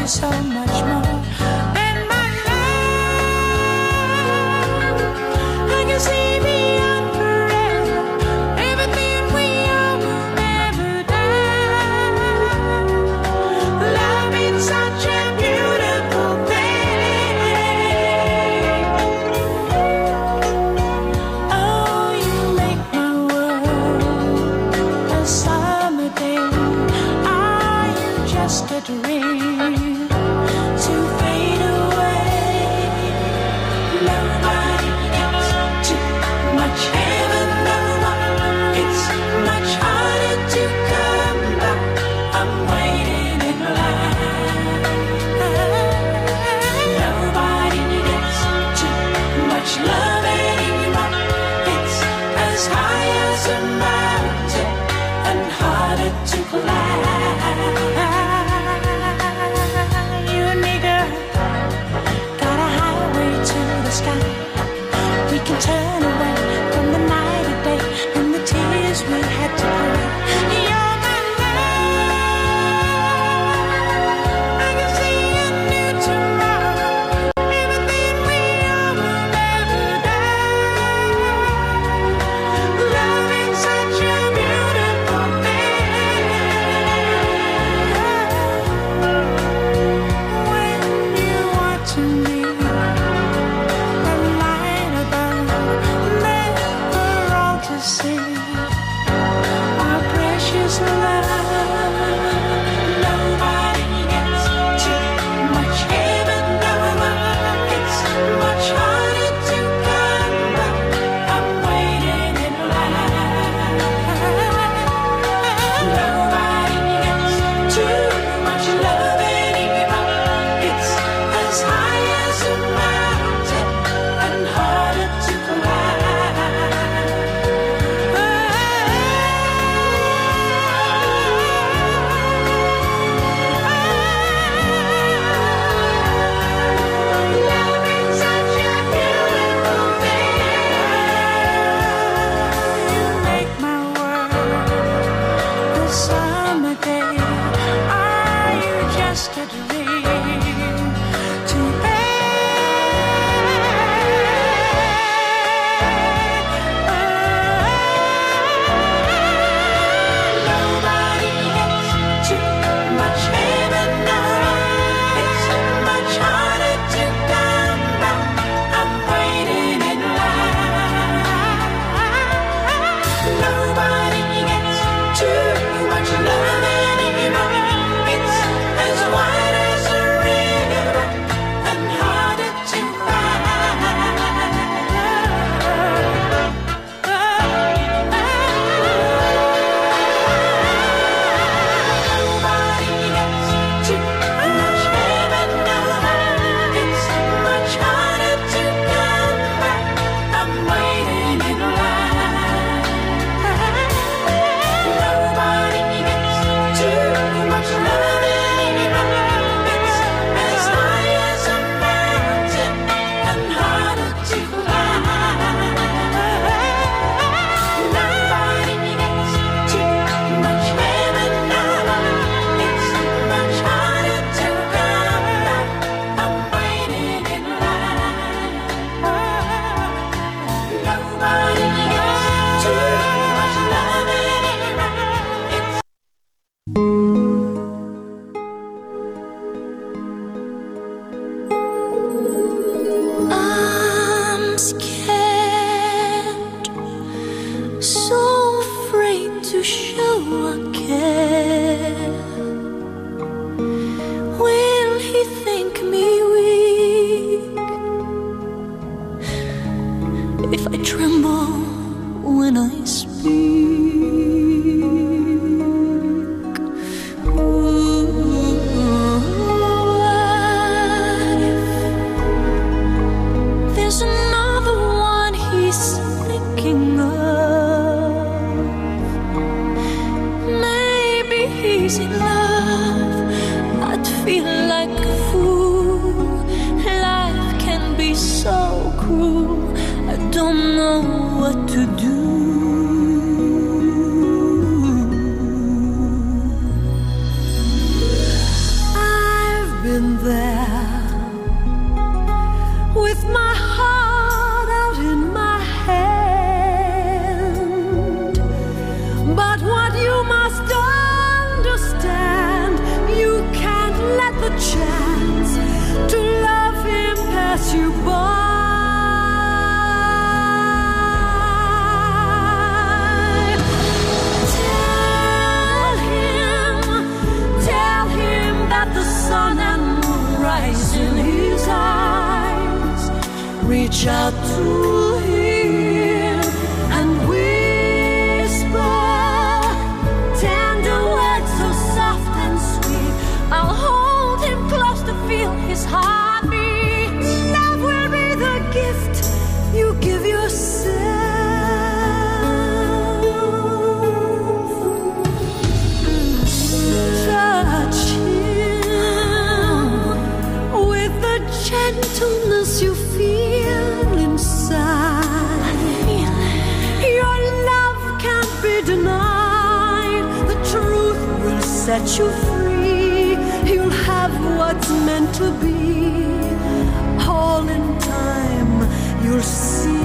So much more than my love. I can see beyond forever. Everything we are will never die. Love is such a beautiful thing. Oh, you make my world a summer day. Are you just a dream? Turn away from the night and day and the tears we had to cry. You're my love. I can see a new tomorrow. Everything we are will never die. Love is such a beautiful thing. When you want to me. See our precious love. Nobody gets too much heaven. It's much harder to come back. I'm waiting in line. Nobody gets too much love anymore. It's as high as a mountain and harder to climb. crazy love, I'd feel like a fool. Life can be so cruel, I don't know what to do. I've been there with my heart out in my hand, but what you must understand, you can't let the chance to love him pass you by. Tell him that the sun and moon rise in his eyes. Reach out to him and whisper tender words so soft and sweet. I'll hold him close to feel his heartbeat. Love will be the gift you give yourself. Touch him with the gentleness you feel inside. Your love can't be denied. The truth will set you free. You'll have what's meant to be. All in time, you'll see.